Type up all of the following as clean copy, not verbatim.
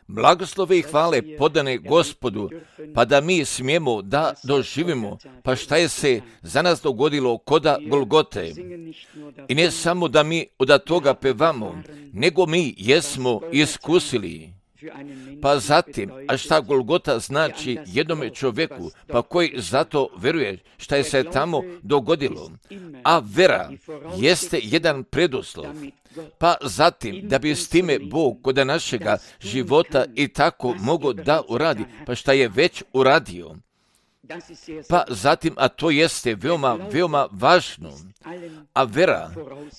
Blagoslove i hvale podane Gospodu, pa da mi smijemo da doživimo, pa šta je se za nas dogodilo koda Golgote. I ne samo da mi od toga pevamo, nego mi jesmo iskusili. Pa zatim, a šta Golgota znači jednome čovjeku, pa koji zato veruje šta je se tamo dogodilo. A vera jeste jedan preduslov. Pa zatim, da bi s time Bog kod našega života i tako mogao da uradi, pa šta je već uradio. Pa zatim, a to jeste veoma, veoma važno, a vera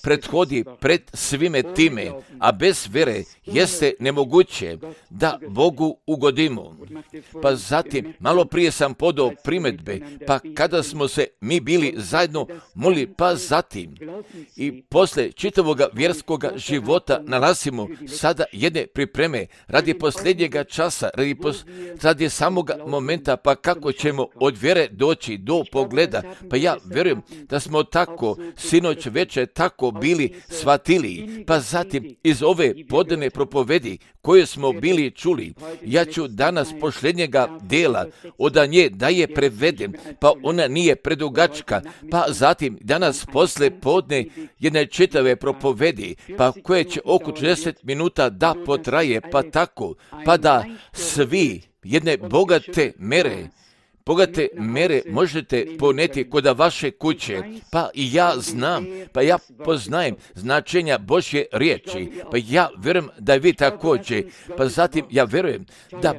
prethodi pred svime time, a bez vere jeste nemoguće da Bogu ugodimo. Pa zatim, malo prije sam podao primjedbe, pa kada smo se mi bili zajedno molili, pa zatim i posle čitavoga vjerskoga života nalazimo sada jedne pripreme radi posljednjega časa, radi samoga momenta, pa kako ćemo od vjere doći do pogleda. Pa ja vjerujem da smo tako sinoć večer tako bili shvatili, pa zatim iz ove podane propovedi koje smo bili čuli, ja ću danas posljednjega dela od nje da je prevedem, pa ona nije predugačka, pa zatim danas posle podne jedne čitave propovedi, pa koje će oko 40 minuta da potraje, pa tako, pa da svi jedne bogate mere možete poneti kod vaše kuće, pa i ja znam, pa ja poznajem značenja Božje riječi, pa ja vjerujem da vi također, pa zatim ja vjerujem da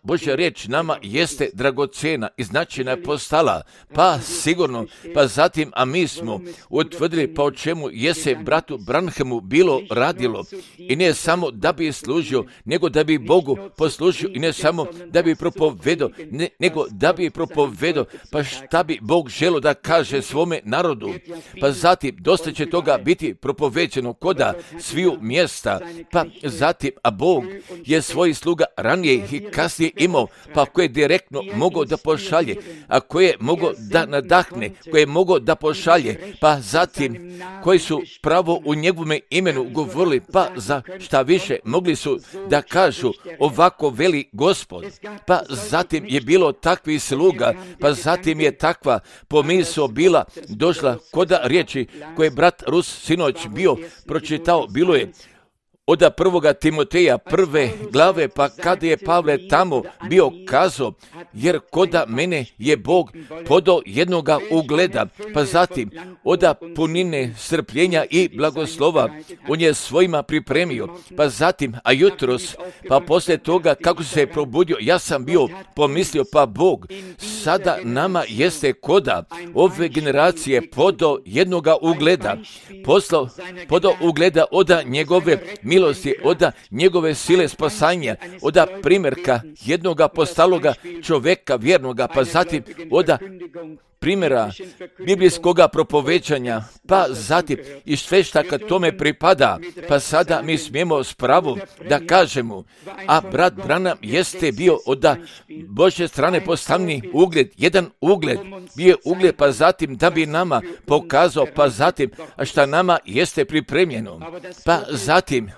Božja riječ nama jeste dragocjena i značajna postala, pa sigurno, pa zatim, a mi smo utvrdili pa o čemu je se bratu Branhamu bilo radilo i ne samo da bi služio, nego da bi Bogu poslužio i ne samo da bi propovedao, nego da bi propovedao, pa šta bi Bog želio da kaže svome narodu, pa zatim dosta će toga biti propoveđeno koda sviju mjesta, pa zatim, a Bog je svojih sluga ranije i kasnije imao, pa koje direktno mogao da pošalje, a koje mogao da nadahne, koje mogao da pošalje, pa zatim koji su pravo u njegovome imenu govorili, pa za šta više mogli su da kažu ovako veli Gospod, pa zatim je bilo takvi sluga, pa zatim je takva pomisao bila došla koda riječi koje brat Rus sinoć bio pročitao, bilo je od 1. Timoteja 1. glave, pa kada je Pavle tamo bio kazao, jer koda mene je Bog podao jednoga ugleda, pa zatim od punine strpljenja i blagoslova on je svojima pripremio, pa zatim, a jutros, pa poslije toga kako se je probudio, ja sam bio pomislio, pa Bog sada nama jeste koda ove generacije podao jednoga ugleda, podao ugleda od njegove milosti, od njegove sile spasanja, od primjerka jednoga postaloga čovjeka vjernoga, pa zatim od primjera biblijskoga propoveđanja, pa zatim i sve šta kad tome pripada, pa sada mi smijemo s pravom da kažemo, a brat Branham jeste bio od Božje strane postavni ugled, jedan ugled, bio ugled, pa zatim da bi nama pokazao, pa zatim šta nama jeste pripremljeno, pa zatim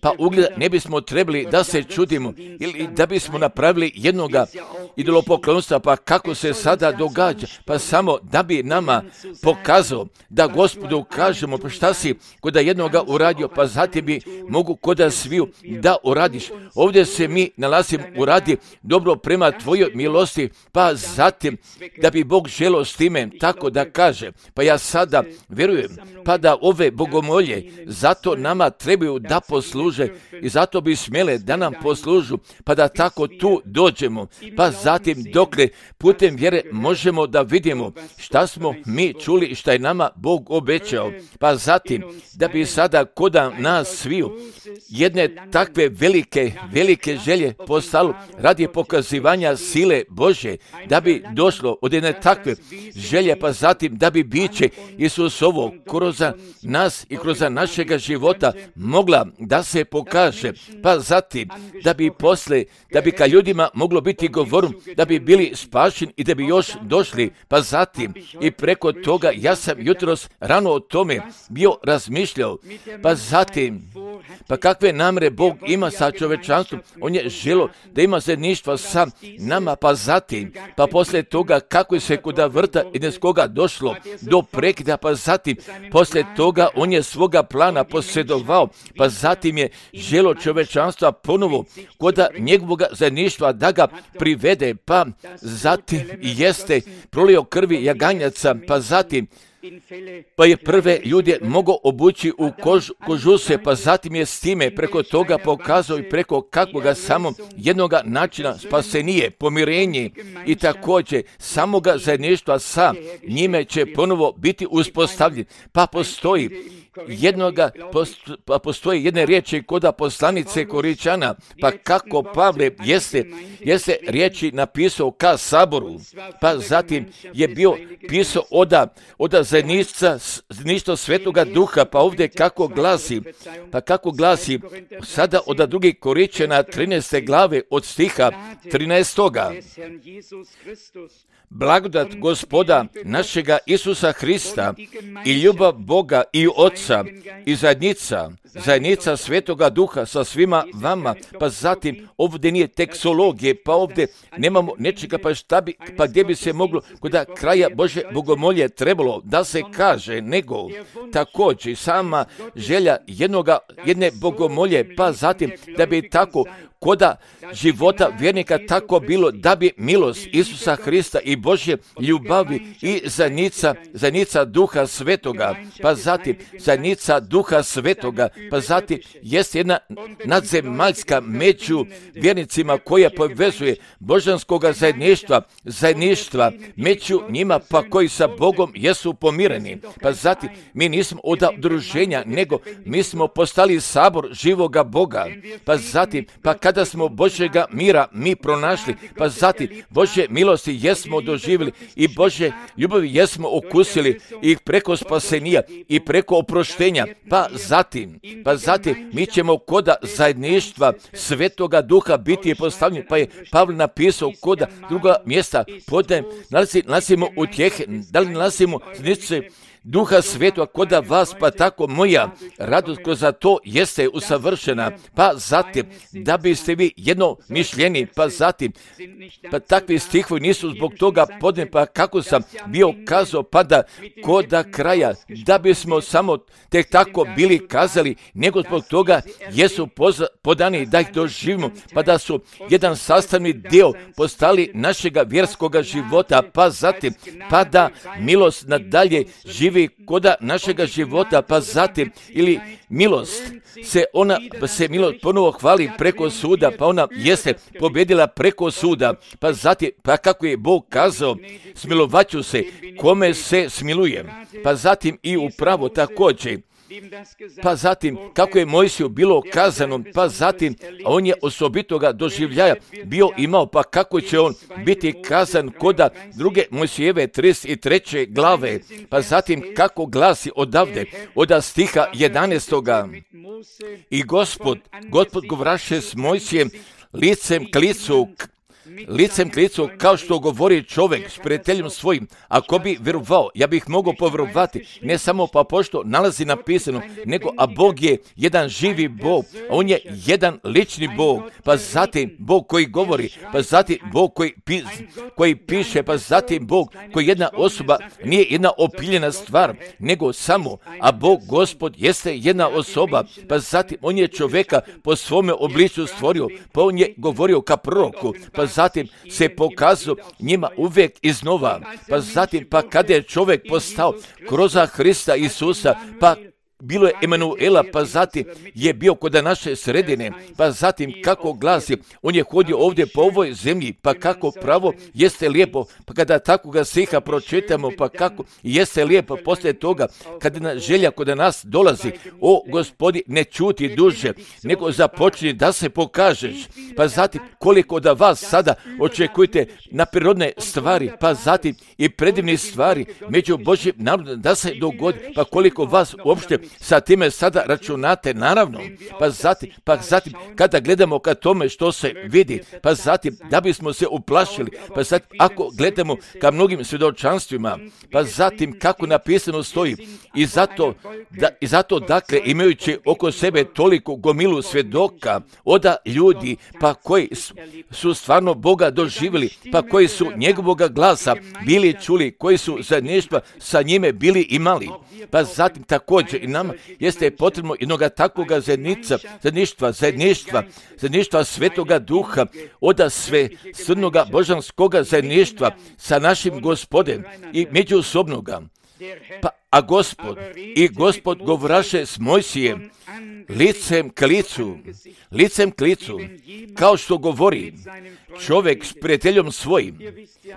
pa ugleda ne bismo trebali da se čudimo ili da bismo napravili jednoga idolopoklonstva, pa kako se sada događa, pa samo da bi nama pokazao da Gospodu kažemo, pa šta si koda jednoga uradio, pa zatim bi mogu koda sviju da uradiš. Ovdje se mi nalazimo uradi dobro prema tvojoj milosti, pa zatim da bi Bog želio s time tako da kaže, pa ja sada vjerujem, pa da ove bogomolje zato nama trebaju da posluže i zato bi smjele da nam poslužu, pa da tako tu dođemo, pa zatim dokle putem vjere možemo da vidimo šta smo mi čuli i šta je nama Bog obećao, pa zatim da bi sada koda nas sviju jedne takve velike želje postalo radi pokazivanja sile Božje, da bi došlo od jedne takve želje, pa zatim da bi biće Isusovo kroz nas i kroz našega života moglo mogla da se pokaže, pa zatim da bi ka ljudima moglo biti govorom, da bi bili spašeni i da bi još došli, pa zatim i preko toga ja sam jutros rano o tome bio razmišljao, pa zatim, pa kakve namere Bog ima sa čovečanstvom, on je želio da ima zajedništva sa nama, pa zatim, pa poslije toga kako se kuda vrta Edenskoga došlo do prekida, pa zatim, poslije toga on je svoga plana posjedovao, pa zatim je želio čovečanstva ponovo koda njegovog zajedništva da ga privede, pa zatim jeste prolio krvi jaganjaca, pa zatim pa je prve ljude mogao obući u kožuse, pa zatim je s time preko toga pokazao i preko kakvoga samo jednoga načina spasenije, pomirenje i također samoga zajedništva sa njime će ponovo biti uspostavljen. Pa postoji jedne riječi koda poslanice Koričana, pa kako Pavle jeste riječi napisao ka saboru, pa zatim je bio pisao oda zajedništva Svetoga Duha, pa ovdje kako glasi sada od 2. Koričana 13. glave od stiha 13. Blagodat Gospoda našega Isusa Hrista i ljubav Boga i Otca i zajednica Svetoga Duha sa svima vama, pa zatim ovdje nije teksologije, pa ovdje nemamo nečega, pa gdje bi se moglo kod kraja Bože bogomolje trebalo da se kaže, nego također sama želja jedne bogomolje, pa zatim da bi tako koda života vjernika tako bilo, da bi milost Isusa Hrista i Božje ljubavi i zajednica Duha Svetoga, pa zatim zajednica Duha Svetoga, pa zatim jest jedna nadzemaljska među vjernicima koja povezuje božanskoga zajedništva među njima, pa koji sa Bogom jesu pomireni. Pa zatim mi nismo od udruženja, nego mi smo postali sabor živoga Boga, pa zatim pa kada smo Božjega mira mi pronašli, pa zatim Božje milosti jesmo doživjeli i Božje ljubavi jesmo okusili i preko spasenja i preko oproštenja, pa zatim mi ćemo koda zajedništva Svetoga Duha biti postavljeni, pa je Pavle napisao koda druga mjesta, nalazimo utjehe, da li nalazimo znice Duha Svetoga koda vas, pa tako moja radost kroz to jeste usavršena, pa zatim da biste vi jedno mišljeni, pa zatim pa takvi stihovi nisu zbog toga podne, pa kako sam bio kazao, pa da koda kraja da bismo samo tek tako bili kazali, nego zbog toga jesu podani da ih doživimo, pa da su jedan sastavni dio postali našega vjerskoga života, pa zatim pa da milost nadalje živi koda našega života, pa zatim ili milost se milost ponovo hvali preko suda, pa ona jeste pobjedila preko suda, pa zatim pa kako je Bog kazao, smilovat ću se kome se smilujem, pa zatim i upravo također. Pa zatim, kako je Mojsiju bilo kazano, pa zatim, on je osobitoga doživljaja bio imao, pa kako će on biti kazan koda druge Mojsijeve 33. glave, pa zatim kako glasi odavde, od stiha 11. I Gospod govraše s Mojsijem licem k licu, kao što govori čovjek s prijateljem svojim. Ako bi vjerovao, ja bih mogao povjerovati, ne samo pa pošto nalazi napisano, nego a Bog je jedan živi Bog, on je jedan lični Bog, pa zatim Bog koji govori, pa zatim Bog koji piše, pa zatim Bog koji jedna osoba, nije jedna opiljena stvar, nego samo, a Bog Gospod jeste jedna osoba, pa zatim on je čovjeka po svome obličju stvorio, pa on je govorio ka proroku, pa zatim se pokazao njima uvijek iznova, pa zatim pa kada je čovjek postao kroz Hrista Isusa, pa bilo je Emanuela, pa zatim je bio kod naše sredine, pa zatim kako glasi, on je hodio ovdje po ovoj zemlji, pa kako pravo jeste lijepo, pa kada takvoga stiha pročitamo, pa kako jeste lijepo poslije toga, kada želja kod nas dolazi, o Gospodi, ne čuti duže, nego započni da se pokažeš, pa zatim koliko da vas sada očekujete na prirodne stvari, pa zatim i predivne stvari među Božjim narodom da se dogodi, pa koliko vas uopšte sa time sada računate, naravno, pa zatim kada gledamo ka tome što se vidi, pa zatim da bismo se uplašili, pa zatim ako gledamo ka mnogim svjedočanstvima, pa zatim kako napisano stoji, i zato dakle imajući oko sebe toliko gomilu svjedoka oda ljudi, pa koji su stvarno Boga doživjeli, pa koji su njegovoga glasa bili čuli, koji su zajedništva sa njime bili imali. Pa zatim također i nama jeste potrebno jednoga takvoga zajedništva Svetoga Duha, oda sve srnoga božanskoga zajedništva sa našim Gospodem i međusobnoga. A Gospod govoraše s Mojsijem licem k licu, kao što govori čovjek s prijateljom svojim.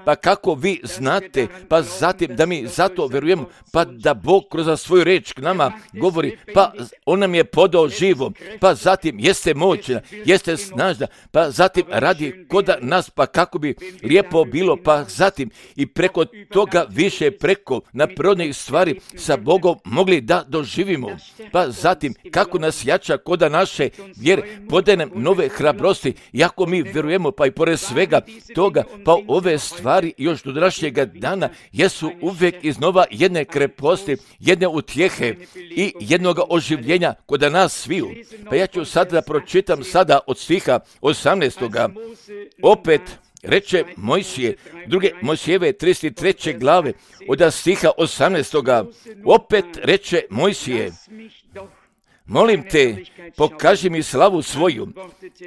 Pa kako vi znate, pa zatim da mi zato vjerujemo, pa da Bog kroz svoju riječ k nama govori, pa on nam je podao živo, pa zatim jeste moćna, jeste snažna, pa zatim radi koda nas, pa kako bi lijepo bilo, pa zatim i preko toga više preko naprirodnih stvari sa Bogom mogli da doživimo, pa zatim kako nas jača koda naše vjere, podaje nam nove hrabrosti, jako mi vjerujemo, pa i pored svega toga, pa ove stvari još do današnjega dana jesu uvijek iznova jedne kreposti, jedne utjehe i jednoga oživljenja koda nas sviju. Pa ja ću sada da pročitam sada od stiha 18. Opet reče Mojsije, druge Mojsijeve 33. glave, od stiha 18. Opet reče Mojsije, molim te, pokaži mi slavu svoju.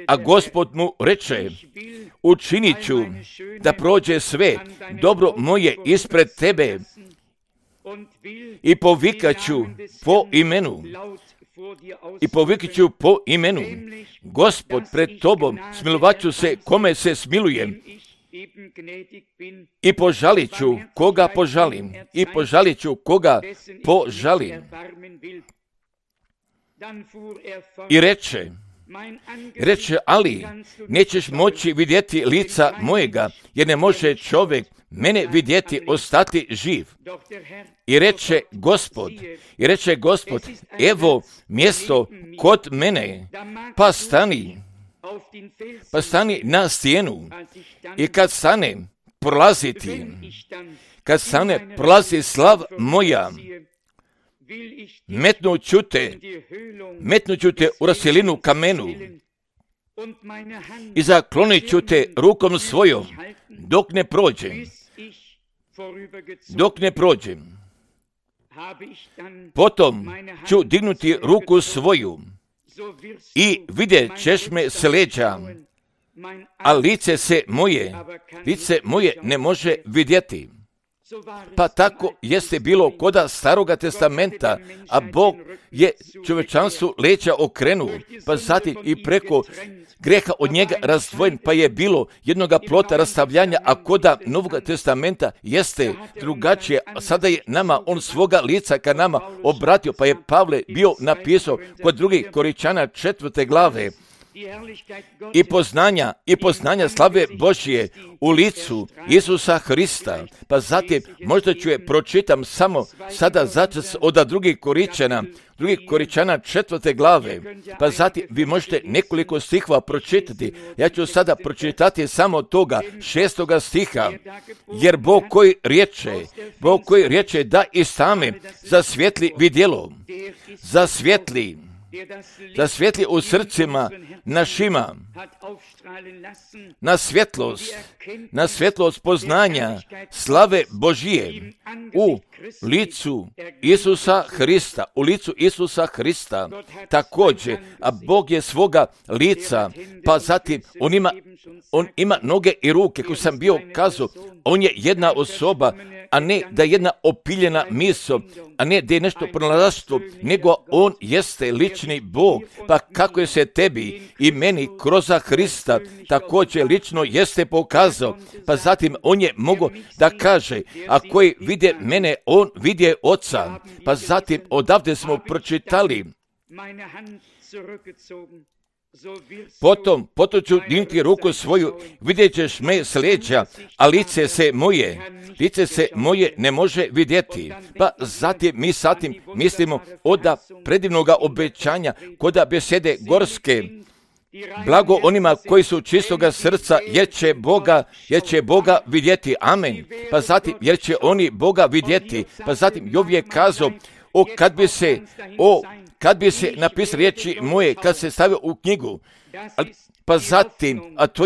A Gospod mu reče, učinit ću da prođe sve dobro moje ispred tebe i povikat ću po imenu. Gospod pred tobom smilovat ću se kome se smilujem i požalit ću koga požalim. I reče, ali nećeš moći vidjeti lica mojega, jer ne može čovjek mene vidjeti ostati živ. I reče Gospod, evo mjesto kod mene, pa stani na stijenu. I kad stane prolazi slav moja, metnut ću te u raselinu kamenu i zaklonit ću te rukom svojom dok ne prođem. Potom ću dignuti ruku svoju i vidjet ćeš me s leđa, a lice moje ne može vidjeti. Pa tako jeste bilo koda Staroga testamenta, a Bog je čovječanstvu leđa okrenuo, pa zatim i preko greha od njega razdvojen, pa je bilo jednoga plota rastavljanja, a koda Novoga testamenta jeste drugačije. Sada je nama on svoga lica ka nama obratio, pa je Pavle bio napisao kod 2. Korinčana 4. glave, i poznanja slave Božje u licu Isusa Hrista. Pa zatim možda ću je pročitam samo sada začas od 2. Korinčana 4. glave. Pa zatim vi možete nekoliko stihova pročitati. Ja ću sada pročitati samo toga 6. stiha. Jer Bog koji riječe da i same zasvijetli vidjelo, zasvijetli u srcima našima na svjetlost poznanja slave Božije u licu Isusa Hrista. Također, a Bog je svoga lica, pa zatim on ima noge i ruke, koji sam bio kazao, on je jedna osoba, a ne da je jedna opiljena misao, a ne da je nešto pronalaštvo, nego on jeste lični Bog, pa kako je se tebi i meni kroz Hrista također lično jeste pokazao, pa zatim on je mogao da kaže, a koji vide mene, on vidje Oca, pa zatim odavde smo pročitali Potom ću dignuti ruku svoju, vidjet ćeš me s leđa, a lice se moje ne može vidjeti. Pa zatim mi satim mislimo oda predivnoga obećanja, koda besede gorske, blago onima koji su čistoga srca, jer će Boga vidjeti. Amen. Pa zatim, jer će oni Boga vidjeti. Pa zatim, Jov je kazao, kad bi se napisali riječi moje, kad se stavio u knjigu, pa zatim, a to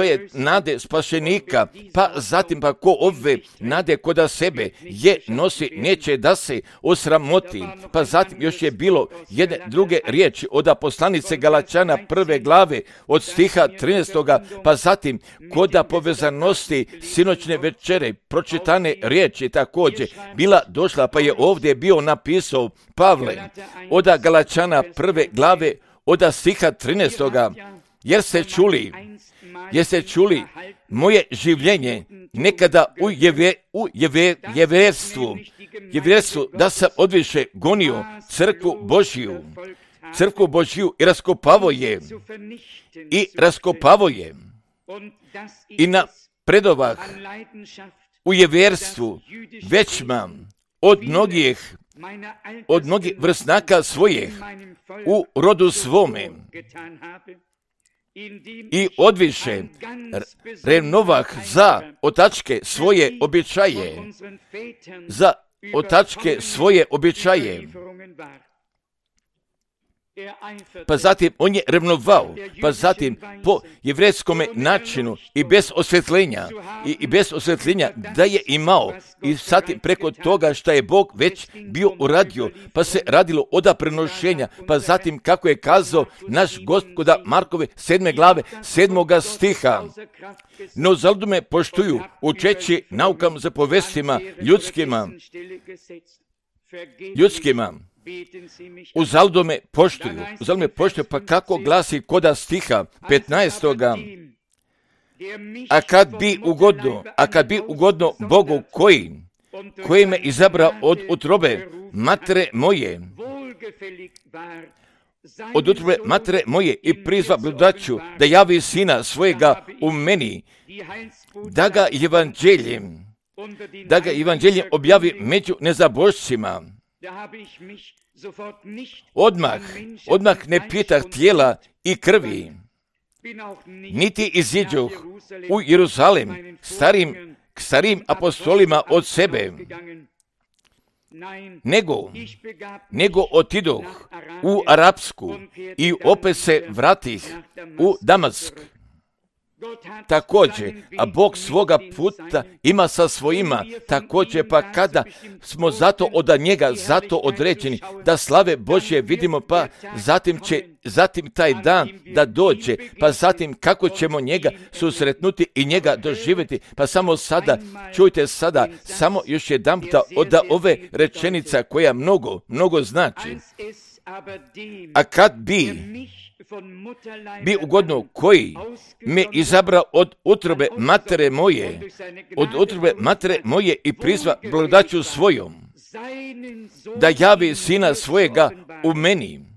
je nade spašenika, pa zatim pa ko ove nade koda sebe je nosi, neće da se osramoti. Pa zatim još je bilo jedne druge riječi od poslanice Galačana 1. glave od stiha 13. Pa zatim koda povezanosti sinoćne večere pročitane riječi također bila došla, pa je ovdje bio napisao Pavle od Galačana 1. glave od stiha 13. Jer ste čuli moje življenje nekada u jevjerstvu, da sam odviše gonio crkvu Božju i raskopavo je i na predovah u jevjerstvu većma od mnogih vrstnaka svojih u rodu svome i odviše renovah za otačke svoje običaje. Pa zatim on je revnovao, pa zatim po jevrejskom načinu i bez osvjetljenja da je imao, i zatim preko toga što je Bog već bio uradio, pa se radilo oda prenošenja, pa zatim kako je kazao naš Gospoda Markove 7. glave 7. stiha. No zalud me poštuju učeći naukam za povestima ljudskima, uzalud me poštuju, pa kako glasi koda stiha 15. A kad bi ugodno Bogu koji me izabra od utrobe matere moje i prizva blagodaću da javi sina svojega u meni, da ga evanđeljem objavi među nezabožcima. Odmah ne pitah tijela i krvi, niti iziđoh u Jeruzalem starim apostolima od sebe, nego otidoh u Arapsku i opet se vratih u Damask. Također, a Bog svoga puta ima sa svojima, također pa kada smo od njega određeni da slave Božje vidimo, pa zatim taj dan da dođe, pa zatim kako ćemo njega susretnuti i njega doživjeti, pa samo sada, čujte sada, samo još jedan puta od ove rečenica koja mnogo znači. A kad bi ugodno koji me izabra od utrobe matere moje i prizva blagodaću svojom, da javi sina svojega u meni.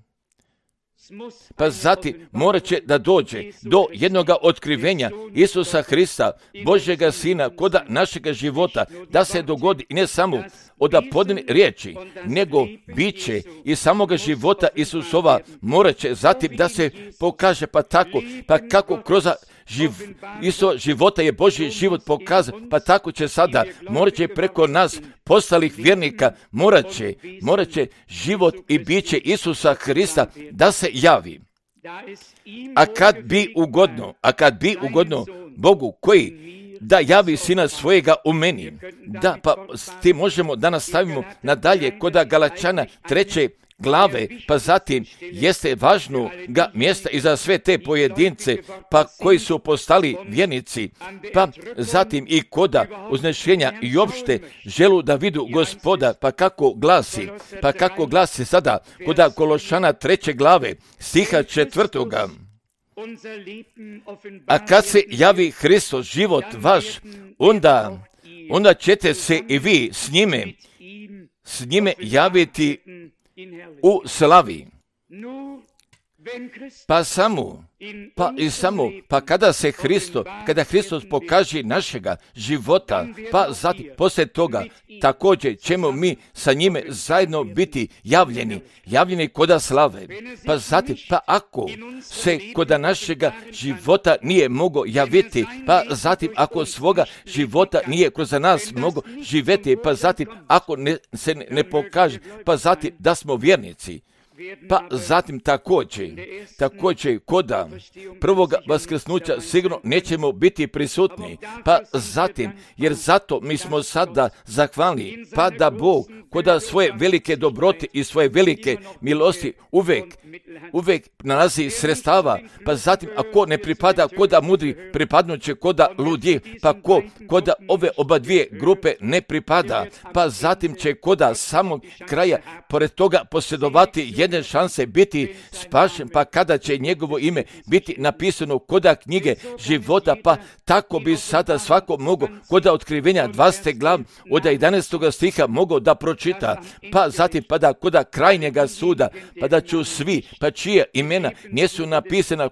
Pa zatim morat će da dođe do jednoga otkrivenja Isusa Hrista, Božjega Sina, koda našega života, da se dogodi i ne samo od podne riječi, nego biće i samoga života Isusova morat će zatim da se pokaže, pa kako kroz života je Božji život pokazan, pa tako će sada, morat će preko nas postalih vjernika, morat će život i biće Isusa Hrista da se javi. A kad bi ugodno Bogu koji da javi sina svojega u meni. Da, pa ti možemo da nastavimo nadalje kod Galačana 3. glave, pa zatim jeste važno ga mjesta i za sve te pojedince, pa koji su postali vjernici, pa zatim i koda uznešenja i opšte želu da vidu Gospoda, pa kako glasi sada koda Kološana 3. glave, stiha 4. A kad se javi Hristos život vaš, onda ćete se i vi s njime javiti u slavi. pa kada Hristos pokaže našega života, pa zatim poslije toga također ćemo mi sa njime zajedno biti javljeni koda slave. Pa zatim, ako se koda našega života nije mogo javiti, pa zatim ako svoga života nije kroz nas mogo živjeti, pa zatim ako se ne pokaže, pa zatim da smo vjernici. Pa zatim također koda prvoga vaskrsnuća sigurno nećemo biti prisutni. Pa zatim, jer zato mi smo sada zahvalni, pa da Bog koda svoje velike dobrote i svoje velike milosti uvijek nalazi sredstava. Pa zatim, ako ne pripada koda mudri, pripadnuće koda ludji, pa koda ove oba dvije grupe ne pripada, pa zatim će koda samog kraja pored toga posjedovati jedne šanse biti spašen, pa kada će njegovo ime biti napisano koda knjige života, pa tako bi sada svako mogao koda otkrivenja 20. glav od 11. stiha mogao da pročita, pa zatim pa da koda krajnjega suda, pa da ću svi, pa čija imena nisu napisana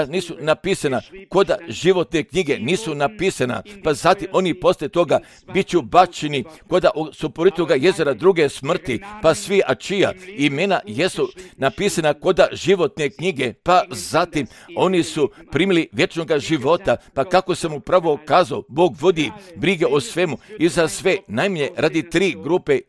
nisu napisana koda životne knjige nisu napisana, pa zatim oni poslije toga bit ću bačeni koda su pored toga jezera druge smrti, pa svi a čija imena jesu napisana koda životne knjige, pa zatim oni su primili vječnog života, pa kako sam upravo kazao, Bog vodi brige o svemu i za sve, najmanje radi 3 grupe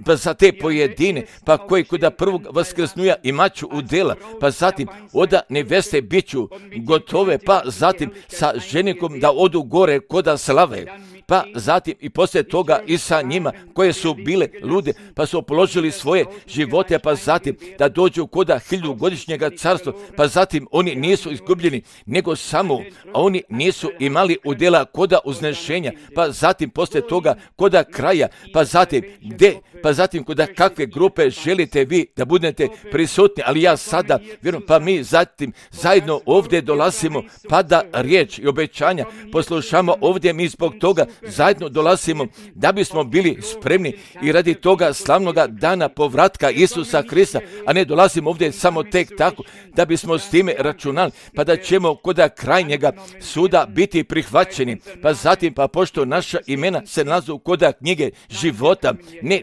pa za te pojedine, pa koji koda prvog vaskrsnuja imaću udjela, pa zatim oda neveste biću gotove, pa zatim sa ženikom da odu gore koda slave, pa zatim i poslije toga i sa njima koje su bile lude, pa su položili svoje živote, pa zatim da dođu koda 1000-godišnjega carstva, pa zatim oni nisu izgubljeni, nego samo, a oni nisu imali udjela koda uznešenja, pa zatim poslije toga koda kraja, pa zatim koda kakve grupe želite vi da budete prisutni, ali ja sada vjerujem, pa mi zatim zajedno ovdje dolazimo, pa da riječ i obećanja poslušamo ovdje, mi zbog toga zajedno dolazimo da bismo bili spremni i radi toga slavnoga dana povratka Isusa Krista, a ne dolazimo ovdje samo tek tako da bismo s time računali, pa da ćemo koda krajnjega suda biti prihvaćeni, pa zatim pa pošto naša imena se nalazu koda knjige života,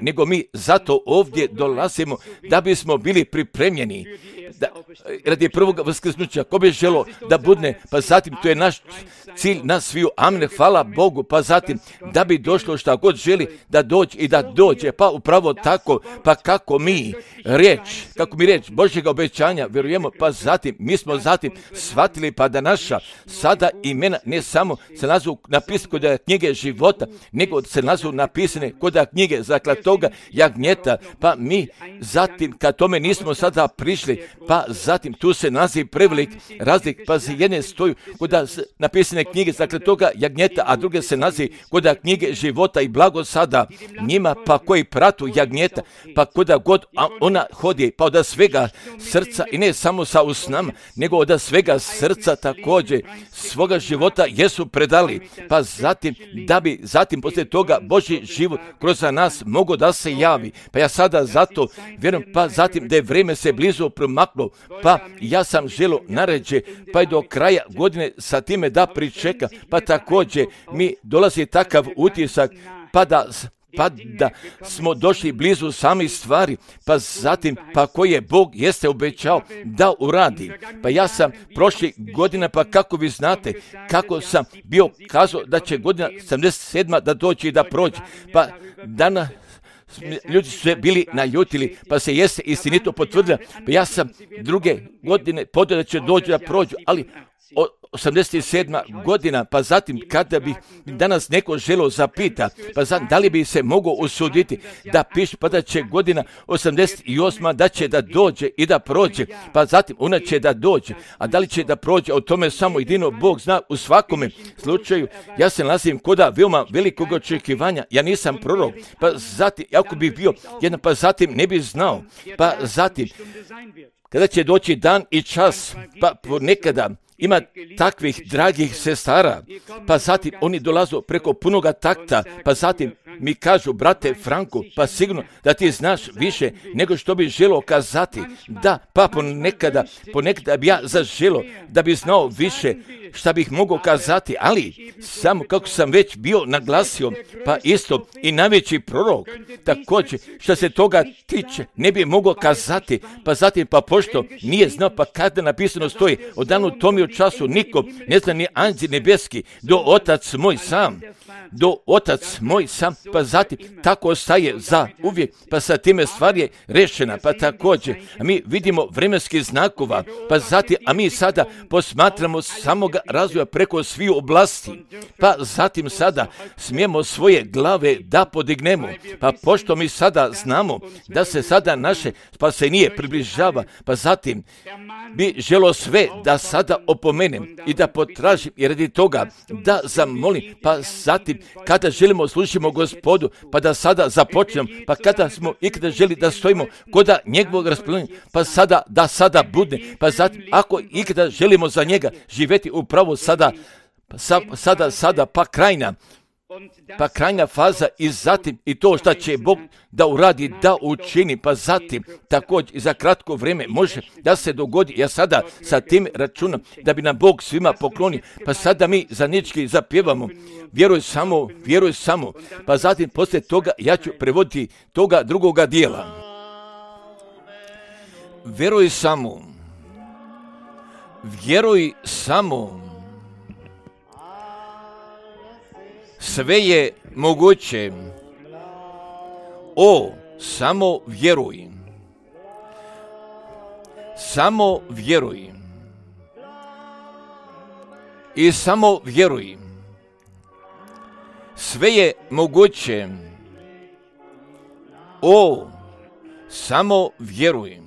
nego mi zato ovdje dolazimo da bismo bili pripremljeni radi prvog vaskrsnuća. Ko bi želo da budne, pa zatim to je naš cilj, nas sviju, amen, hvala Bogu, pa zatim da bi došlo šta god želi da dođe i da dođe, pa upravo tako, pa kako mi riječ Božjega obećanja vjerujemo, pa zatim mi smo zatim shvatili pa da naša sada imena ne samo se nalazu napisane kod knjige života, nego se nalazu napisane kod knjige zaklatoga jagnjeta, pa mi zatim kad tome nismo sada prišli, pa zatim tu se nalazi prevelik razlik, pa se jedne stoju kod napisane knjige zaklatoga jagnjeta, a druge se nalazi kod knjige života i blago sada njima pa koji pratu jagnjeta, pa koda god ona hodi, pa od svega srca i ne samo sa usnama, nego od svega srca također svoga života jesu predali, pa zatim da bi zatim poslije toga Božji život kroz nas mogo da se javi. Pa ja sada zato vjerujem, pa zatim da je vrijeme se blizu promaklo, pa ja sam želo naređe, pa i do kraja godine sa time da pričeka, pa također mi dolazi takav utisak, pa da smo došli blizu samih stvari, pa zatim, pa koje Bog jeste obećao da uradi. Pa ja sam prošli godina, pa kako vi znate, kako sam bio kazao da će godina 77. da dođe i da prođe, pa danas ljudi su se bili naljutili, pa se jeste istinito potvrdila, pa ja sam druge godine podao da će doći da prođu, ali 87. godina, pa zatim kada bi danas neko želo zapita, pa zatim da li bi se mogao usuditi da piše, pa da će godina 88. da će da dođe i da prođe, pa zatim ona će da dođe, a da li će da prođe, o tome samo jedino Bog zna. U svakome slučaju, ja se nalazim koda veoma velikog očekivanja, ja nisam prorok, pa zatim, ako bi bio jedan, pa zatim ne bi znao, pa zatim, kada će doći dan i čas, pa ponekada ima takvih dragih sestara, pa zatim oni dolazu preko punoga takta, pa zatim mi kažu, brate Franko, pa sigurno da ti znaš više nego što bi želio kazati. Da, pa ponekada bi ja zaželio da bi znao više šta bih mogao kazati, ali samo kako sam već bio naglasio, pa isto i najveći prorok, također što se toga tiče, ne bi mogao kazati, pa zatim pa pošto nije znao, pa kada napisano stoji, od danu tom i času niko ne zna ni anđeli nebeski, do otac moj sam, pa zatim tako ostaje za uvijek, pa sa time stvar je rešena, pa također, a mi vidimo vremenskih znakova, pa zatim, a mi sada posmatramo samoga razvoja preko svih oblasti, pa zatim sada smijemo svoje glave da podignemo, pa pošto mi sada znamo da se sada naše spasenje približava, pa zatim bi želo sve da sada opomenem i da potražim i radi toga da zamolim, pa zatim kada želimo slušimo Gospodu, pa da sada započnemo, pa kada smo ikada želi da stojimo kod njegovog raspoloženja, pa sada bude, pa zatim ako ikada želimo za njega živjeti upravo sada, pa krajna faza i zatim i to što će Bog da uradi, da učini, pa zatim također i za kratko vrijeme može da se dogodi. Ja sada sa tim računam da bi nam Bog svima poklonio, pa sada mi zajednički zapjevamo vjeruj samo, pa zatim poslije toga ja ću prevoditi toga drugoga dijela. Vjeruj samo, sve je moguće, samo vjeruj, i samo vjeruj, sve je moguće, samo vjeruj.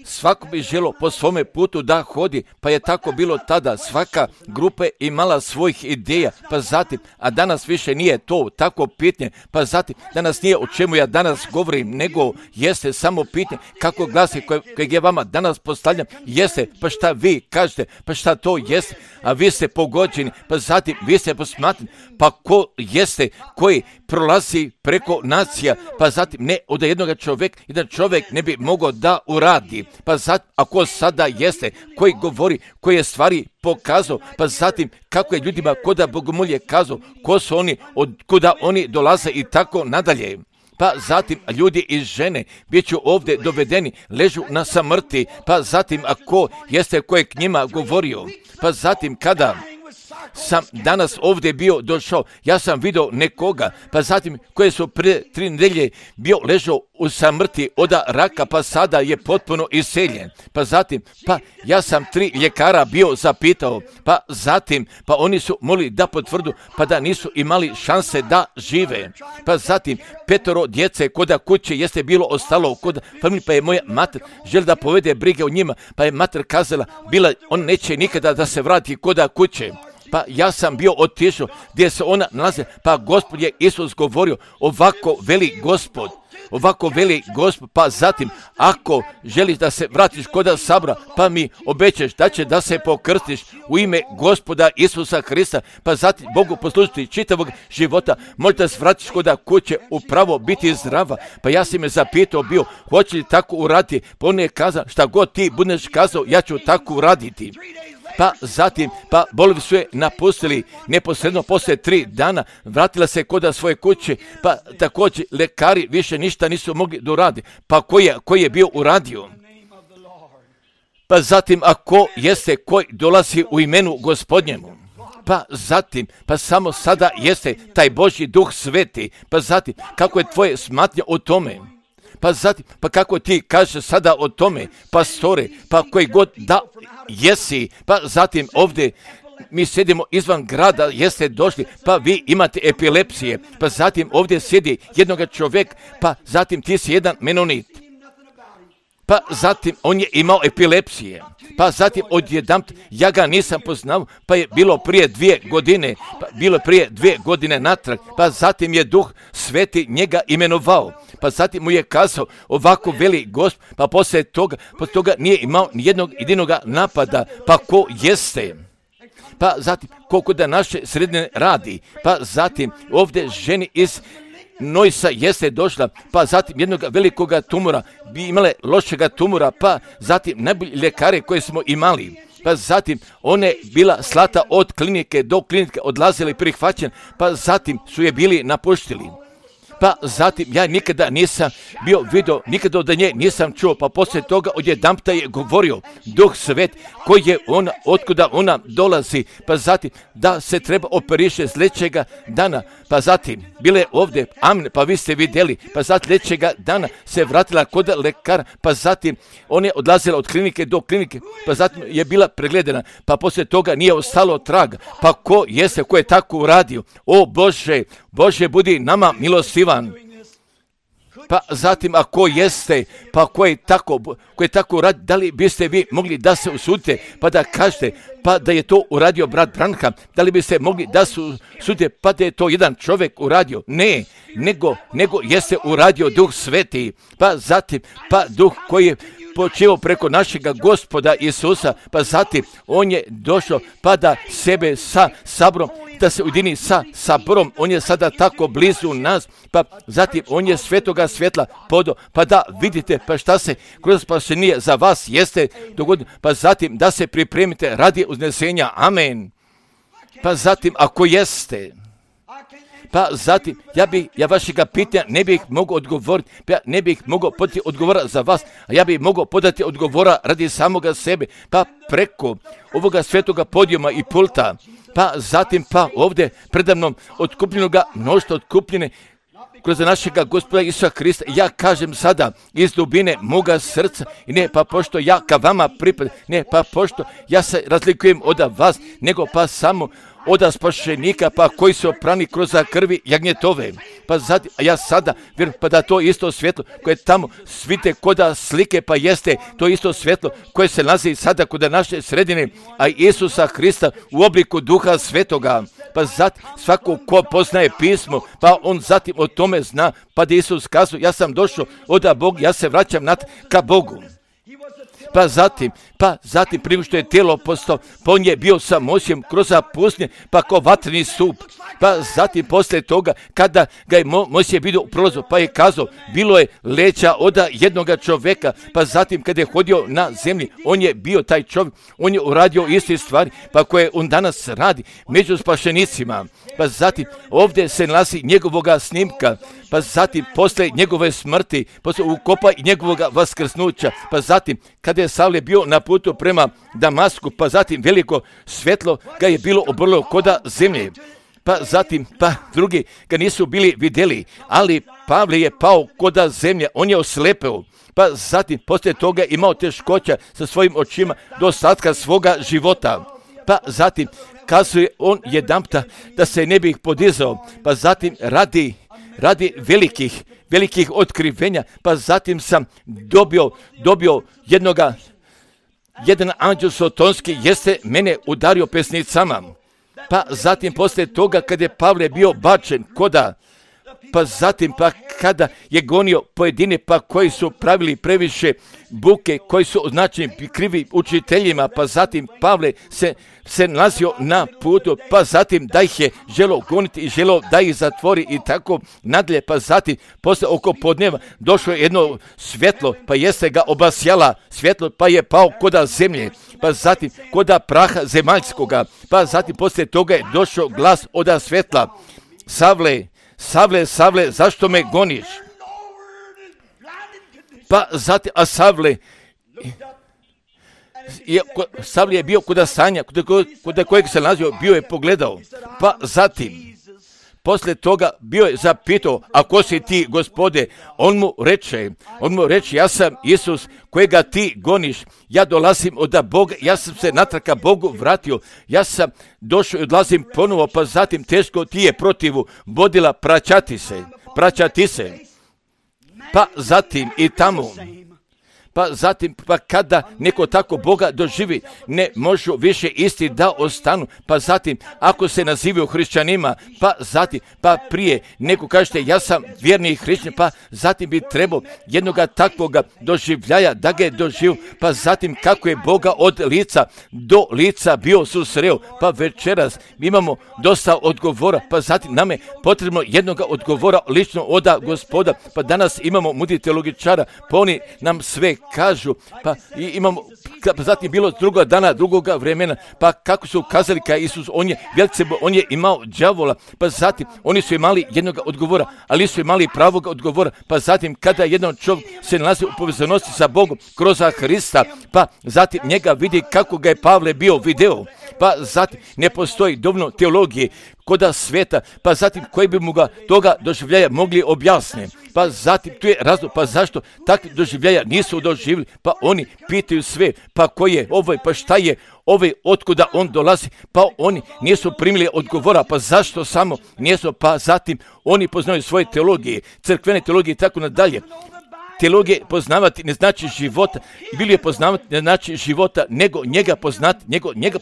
Svako bi želo po svome putu da hodi, pa je tako bilo tada. Svaka grupa imala svojih ideja, pa zatim, a danas više nije to tako pitanje, pa zatim, danas nije o čemu ja danas govorim, nego jeste samo pitanje kako glasi kojeg je vama danas postavljam, jeste, pa šta vi kažete, pa šta to jeste, a vi ste pogođeni, pa zatim vi ste posmatrani, pa ko jeste koji prolazi preko nacija, pa zatim ne od jednog čovjeka, jedan čovjek ne bi mogao da uradi, pa zatim ako sada jeste koji govori, koji je stvari pokazao, pa zatim kako je ljudima koda bogomolje kazao, ko su oni, od kuda oni dolaze i tako nadalje. Pa zatim ljudi i žene bit ću ovdje dovedeni, ležu na samrti, pa zatim ako jeste ko je k njima govorio, pa zatim kada sam danas ovdje bio došao, ja sam vidio nekoga, pa zatim koje su prije 3 nedelje bio ležao u samrti od raka, pa sada je potpuno iseljen. Pa zatim, pa ja sam 3 ljekara bio zapitao, pa zatim, pa oni su mogli da potvrdu, pa da nisu imali šanse da žive. Pa zatim, 5 djece koda kuće jeste bilo ostalo kod familije, pa je moja mater želi da povede brige o njima, pa je mater kazala, on neće nikada da se vrati koda kuće. Pa ja sam bio otišao gdje se ona nalazi, pa Gospod je Isus govorio, ovako veli Gospod, pa zatim, ako želiš da se vratiš koda sabora, pa mi obećaš da će da se pokrstiš u ime Gospoda Isusa Hrista, pa zatim Bogu poslužiti čitavog života, možda se vratiš koda kuće, upravo biti zdrava. Pa ja sam me zapitao bio, hoće li tako uraditi, pa on je kazao, šta god ti budeš kazao, ja ću tako uraditi. Pa zatim, pa bolovi su je napustili neposredno poslije 3 dana, vratila se koda svoje kuće, pa također lekari više ništa nisu mogli da uradi. Pa koji je bio uradio? Pa zatim, ako jeste koji dolazi u imenu Gospodnjemu, pa zatim, pa samo sada jeste taj Božji Duh Sveti, pa zatim, kako je tvoje smatnje o tome? Pa zatim, pa kako ti kažeš sada o tome, pastore, pa koji god da jesi, pa zatim ovdje mi sjedimo izvan grada, jeste došli, pa vi imate epilepsije, pa zatim ovdje sjedi jednoga čovjek, pa zatim ti si jedan menonit. Pa zatim on je imao epilepsije, pa zatim odjedanput ja ga nisam poznao, pa je bilo prije 2 godine, pa bilo prije 2 godine natrag, pa zatim je Duh Sveti njega imenovao, pa zatim mu je kazao, ovako veli Gospod, pa poslije toga nije imao nijednog jedinog napada, pa ko jeste? pa zatim koliko da naše sredine radi, pa zatim ovdje ženi iz Nojsa jeste došla, pa zatim jednog velikoga tumora, bi imale lošega tumora, pa zatim najbolji ljekare koje smo imali, pa zatim one bila slata od klinike do klinike, odlazila i prihvaćen, pa zatim su je bili napuštili. Pa zatim ja nikada nisam bio vidio, nikada od nje nisam čuo, pa poslije toga odjedanputa je govorio Duh Svet koji je ona, otkuda ona dolazi, pa zatim da se treba operiše sljedećega dana, pa zatim bile ovdje, amen, pa vi ste vidjeli, pa zatim sljedećega dana se vratila kod lekara, pa zatim ona je odlazila od klinike do klinike, pa zatim je bila pregledana, pa poslije toga nije ostalo traga, pa ko je tako uradio? O Bože, Bože budi nama milostivan. Pa zatim ako jeste, pa ko je tako radi, da li biste vi mogli da se usudite, pa da kažete, pa da je to uradio brat Branham, da li biste mogli da se usudite, pa da je to jedan čovjek uradio? Ne, nego jeste uradio Duh Sveti, pa zatim, pa Duh koji je počeo preko našega Gospoda Isusa, pa zatim on je došao, pa da sebe sa saborom, da se ujedini sa saborom, on je sada tako blizu nas, pa zatim on je svetoga svjetla podao, pa da vidite, pa šta se kroz spasenje za vas jeste dogodilo, pa zatim da se pripremite radi uznesenja, amen. Pa zatim ako jeste, pa zatim, ja vašega pitanja ne bih mogao odgovoriti, ja ne bih mogao podati odgovora za vas, a ja bih mogao podati odgovora radi samoga sebe, pa preko ovoga svetoga podijuma i pulta, pa zatim pa ovdje predamnom otkupljenoga mnoštva otkupljene kroz našega Gospoda Isusa Krista, ja kažem sada iz dubine moga srca, i ne pa pošto ja ka vama pripadam, ne pa pošto ja se razlikujem od vas, nego pa samo od spašenika, pa koji su oprani kroz krvi jagnjetove. Pa zatim, a ja sada vjerujem pa da to isto svjetlo koje tamo svite koda slike, pa jeste to isto svjetlo koje se nalazi sada kod naše sredine, a Isusa Hrista u obliku Duha Svetoga. Pa zatim svako ko poznaje pismo, pa on zatim o tome zna, pa da Isus kazuje, ja sam došao od Boga, ja se vraćam ka Bogu. Pa zatim prije što je tijelo postao, pa on je bio sa Mojsijem kroz pustinju, pa ko vatreni stup. Pa zatim poslije toga, kada ga je Mojsije vidio u prolazu, pa je kazao, bilo je leća od jednoga čovjeka, pa zatim kada je hodio na zemlji, on je bio taj čovjek, on je uradio iste stvari, pa koje on danas radi među spašenicima. Pa zatim ovdje se nalazi njegovoga snimka, pa zatim poslije njegove smrti, poslije ukopa i njegovoga vaskrsnuća, pa zatim kada je Savle bio na putu prema Damasku, pa zatim veliko svjetlo ga je bilo obrlo koda zemlje. Pa zatim, pa drugi ga nisu bili vidjeli, ali Pavle je pao koda zemlje, on je oslepeo. Pa zatim, poslije toga imao teškoća sa svojim očima do ostatka svoga života. Pa zatim, kazuje on jedanputa da se ne bi podizao, pa zatim radi velikih otkrivenja, pa zatim sam dobio jedan anđel sotonski jeste mene udario pesnicama. Pa zatim poslije toga kad je Pavle bio bačen pa zatim pa kada je gonio pojedine pa koji su pravili previše buke, koji su označeni krivi učiteljima, pa zatim Pavle se nalazio na putu, pa zatim da ih je želo goniti i želo da ih zatvori i tako nadalje, pa zatim posle oko podneva došlo je jedno svjetlo, pa jeste ga obasjala svjetlo, pa je pao koda zemlje, pa zatim koda praha zemaljskoga, pa zatim poslije toga je došao glas od svjetla, Savle, zašto me goniš? Pa zatim, a Savle je bio kuda stanja, kuda kojeg se nalazio, bio je pogledao. Pa zatim, poslije toga bio je zapitao, a ko si ti, Gospode? On mu reče, ja sam Isus kojega ti goniš, ja dolazim od Boga, ja sam se natrag ka Bogu vratio, ja sam došao i odlazim ponovo, pa zatim teško ti je protivu vodila praćati se. Pa zatim i tamo, pa zatim, pa kada neko tako Boga doživi, ne možu više isti da ostanu, pa zatim, ako se nazivaju hrišćanima, pa zatim, pa prije, neko kažete, ja sam vjerni hrišćan, pa zatim bi trebao jednoga takvoga doživljaja, da ga je doživio, pa zatim, kako je Boga od lica do lica bio susreo, pa večeras imamo dosta odgovora, pa zatim nam je potrebno jednoga odgovora lično od Gospoda, pa danas imamo mudri teologičara, pa oni nam sve kažu, pa imamo, pa zatim bilo drugoga dana, drugoga vremena, pa kako su kazali kao Isus, on je imao đavola, pa zatim oni su imali jednoga odgovora, ali su imali pravog odgovora, pa zatim kada jedan čovjek se nalazi u povezanosti sa Bogom kroz Hrista, pa zatim njega vidi kako ga je Pavle bio video, pa zatim ne postoji dovoljno teologije koda sveta, pa zatim koji bi mu ga toga doživljaja mogli objasniti. Pa zatim tu je razlog, pa zašto takvi doživljaja nisu doživjeli, pa oni pitaju sve, pa ko je ovaj, pa šta je ovaj, otkuda on dolazi, pa oni nisu primili odgovora, pa zašto samo nisu, pa zatim oni poznaju svoje teologije, crkvene teologije i tako nadalje. Teologije poznavati ne znači života, ili je poznavati ne znači života, nego njega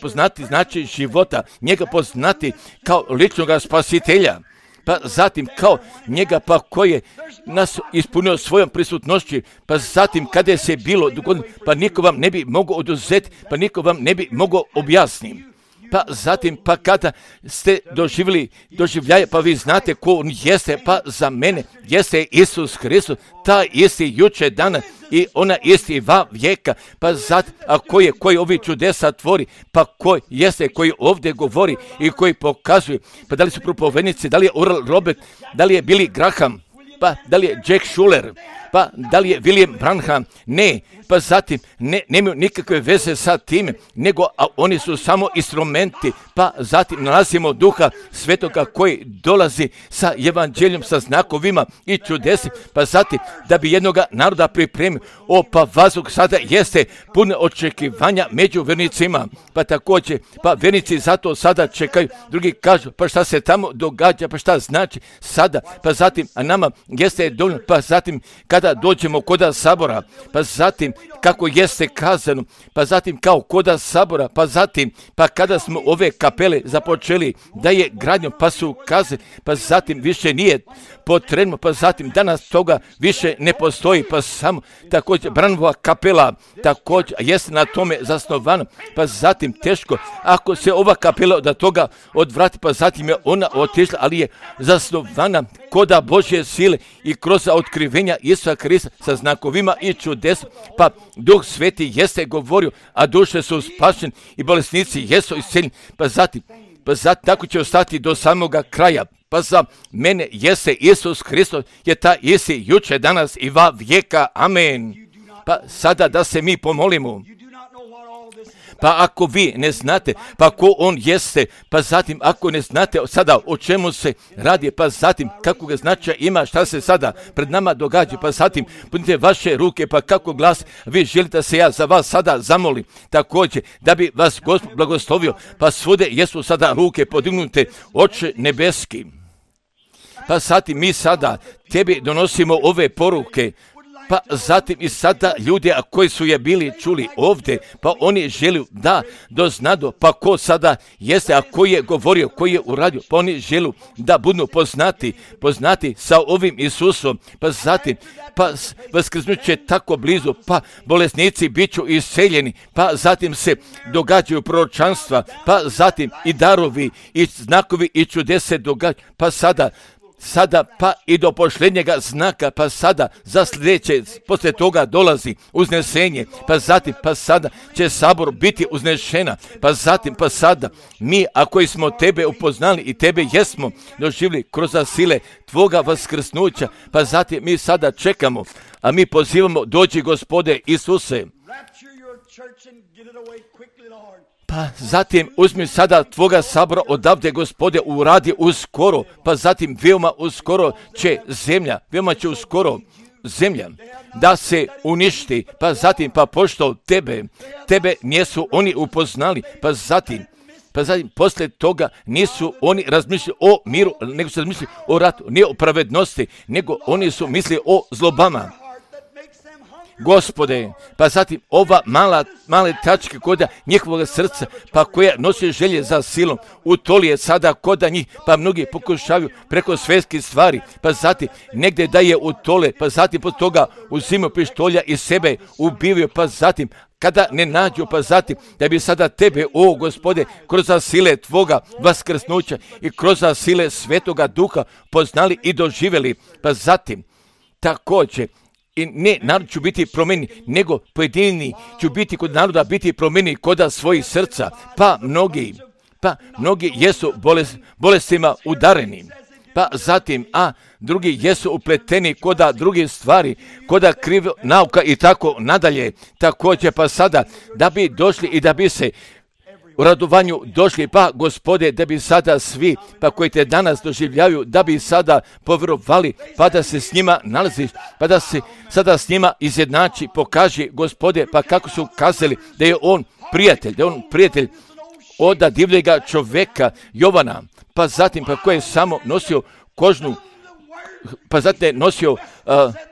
poznati znači života, njega poznati kao ličnoga spasitelja. Pa zatim kao njega pa koji je nas ispunio svojom prisutnošću, pa zatim kada je se bilo dogodilo, pa niko vam ne bi mogao oduzeti, pa niko vam ne bi mogao objasniti. Pa zatim, pa kada ste doživljaje, pa vi znate ko on jeste, pa za mene jeste Isus Hristos, ta isti juče dana i ona isti va vijeka, pa zatim, a koji ovi čudesa tvori, pa koji jeste, koji ovdje govori i koji pokazuje, pa da li su propovednici, da li je Oral Robert, da li je Billy Graham, pa da li je Jack Schuller, pa da li je William Branham, ne, pa zatim nemaju nikakve veze sa time, nego oni su samo instrumenti, pa zatim nalazimo Duha Svetoga koji dolazi sa evanđeljom, sa znakovima i čudesi, pa zatim da bi jednoga naroda pripremio, pa vazduh sada jeste puno očekivanja među vernicima, pa također, pa vernici zato sada čekaju, drugi kažu, pa šta se tamo događa, pa šta znači sada, pa zatim, a nama jeste dovoljno, pa zatim kada dođemo koda sabora, pa zatim kako jeste kazano, pa zatim kao koda sabora, pa zatim, pa kada smo ove kapele započeli da je gradnjom, pa su kazali, pa zatim više nije potrebno, pa zatim danas toga više ne postoji, pa samo također Branova kapela također jeste na tome zasnovana, pa zatim teško, ako se ova kapela od toga odvrati, pa zatim je ona otišla, ali je zasnovana koda Božje sile i kroz otkrivenja Isusa Krista sa znakovima i čudesa, pa Duh Sveti jeste govorio, a duše su spašene i bolesnici jesu isceljeni, pa zatim tako će ostati do samoga kraja. Pa za mene jeste Isus Hristos, je ta isti juče, danas i va vijeka. Amen. Pa sada da se mi pomolimo. Pa ako vi ne znate, pa ko on jeste, pa zatim ako ne znate sada o čemu se radi, pa zatim kako ga značaja ima, šta se sada pred nama događa, pa zatim punite vaše ruke, pa kako glas vi želite se ja za vas sada zamolim, također da bi vas Gospod blagoslovio, pa svude jesu sada ruke podignute, Oče nebeski. Pa zatim mi sada tebi donosimo ove poruke, pa zatim i sada ljudi koji su je bili čuli ovdje, pa oni žele da doznadu, pa ko sada jeste, a koji je govorio, koji je uradio, pa oni žele da budu poznati sa ovim Isusom, pa zatim, pa vaskrsnuće tako blizu, pa bolesnici bit ću isceljeni, pa zatim se događaju proročanstva, pa zatim i darovi, i znakovi, i čudese događaju, pa sada pa i do posljednjega znaka, pa sada za sljedeće, poslije toga dolazi uznesenje, pa zatim, pa sada će sabor biti uznešena, pa zatim, pa sada mi, ako smo tebe upoznali i tebe jesmo doživjeli kroz sile tvoga vaskrsnuća, pa zatim mi sada čekamo, a mi pozivamo, dođi Gospode Isuse. Pa zatim uzmi sada tvoga sabora odavde, Gospode, uradi uskoro, pa zatim veoma uskoro će veoma će uskoro zemlja da se uništi, pa zatim, pa pošto tebe nisu oni upoznali, pa zatim poslije toga nisu oni razmišljali o miru, nego su razmišljali o ratu, ne o pravednosti, nego oni su mislili o zlobama. Gospode, pa zatim ova male tačke koda njihovog srca, pa koja nosi želje za silom, utoli je sada koda njih, pa mnogi pokušavaju preko svjetskih stvari, pa zatim negdje da je utole, pa zatim pod toga uzimaju pištolja i sebe ubivaju, pa zatim kada ne nađu, pa zatim da bi sada tebe, o Gospode, kroz sile Tvoga vaskrsnuća i kroz sile Svetoga Duha poznali i doživjeli, pa zatim također i ne narod ću biti promjeni, nego pojedini ću biti kod naroda biti promjeni koda svojih srca, pa mnogi jesu bolestima udareni, pa zatim, a drugi jesu upleteni koda drugih stvari, koda krivo nauka i tako nadalje, također pa sada da bi došli i da bi se u radovanju došli, pa Gospode, da bi sada svi, pa koji te danas doživljaju, da bi sada povjerovali, pa da se s njima nalaziš, pa da se sada s njima izjednači, pokaži, Gospode, pa kako su kazali da je on prijatelj od divljega čovjeka Jovana, pa zatim pa koji je samo nosio kožnu, pa zatim nosio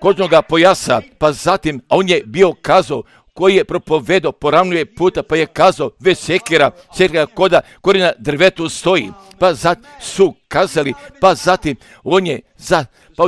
kožnoga pojasa, pa zatim, a on je bio kazao, koji je propovedao, poravnuje puta, pa je kazao, već sekira koda korina drvetu stoji, pa zatim su kazali, pa zatim on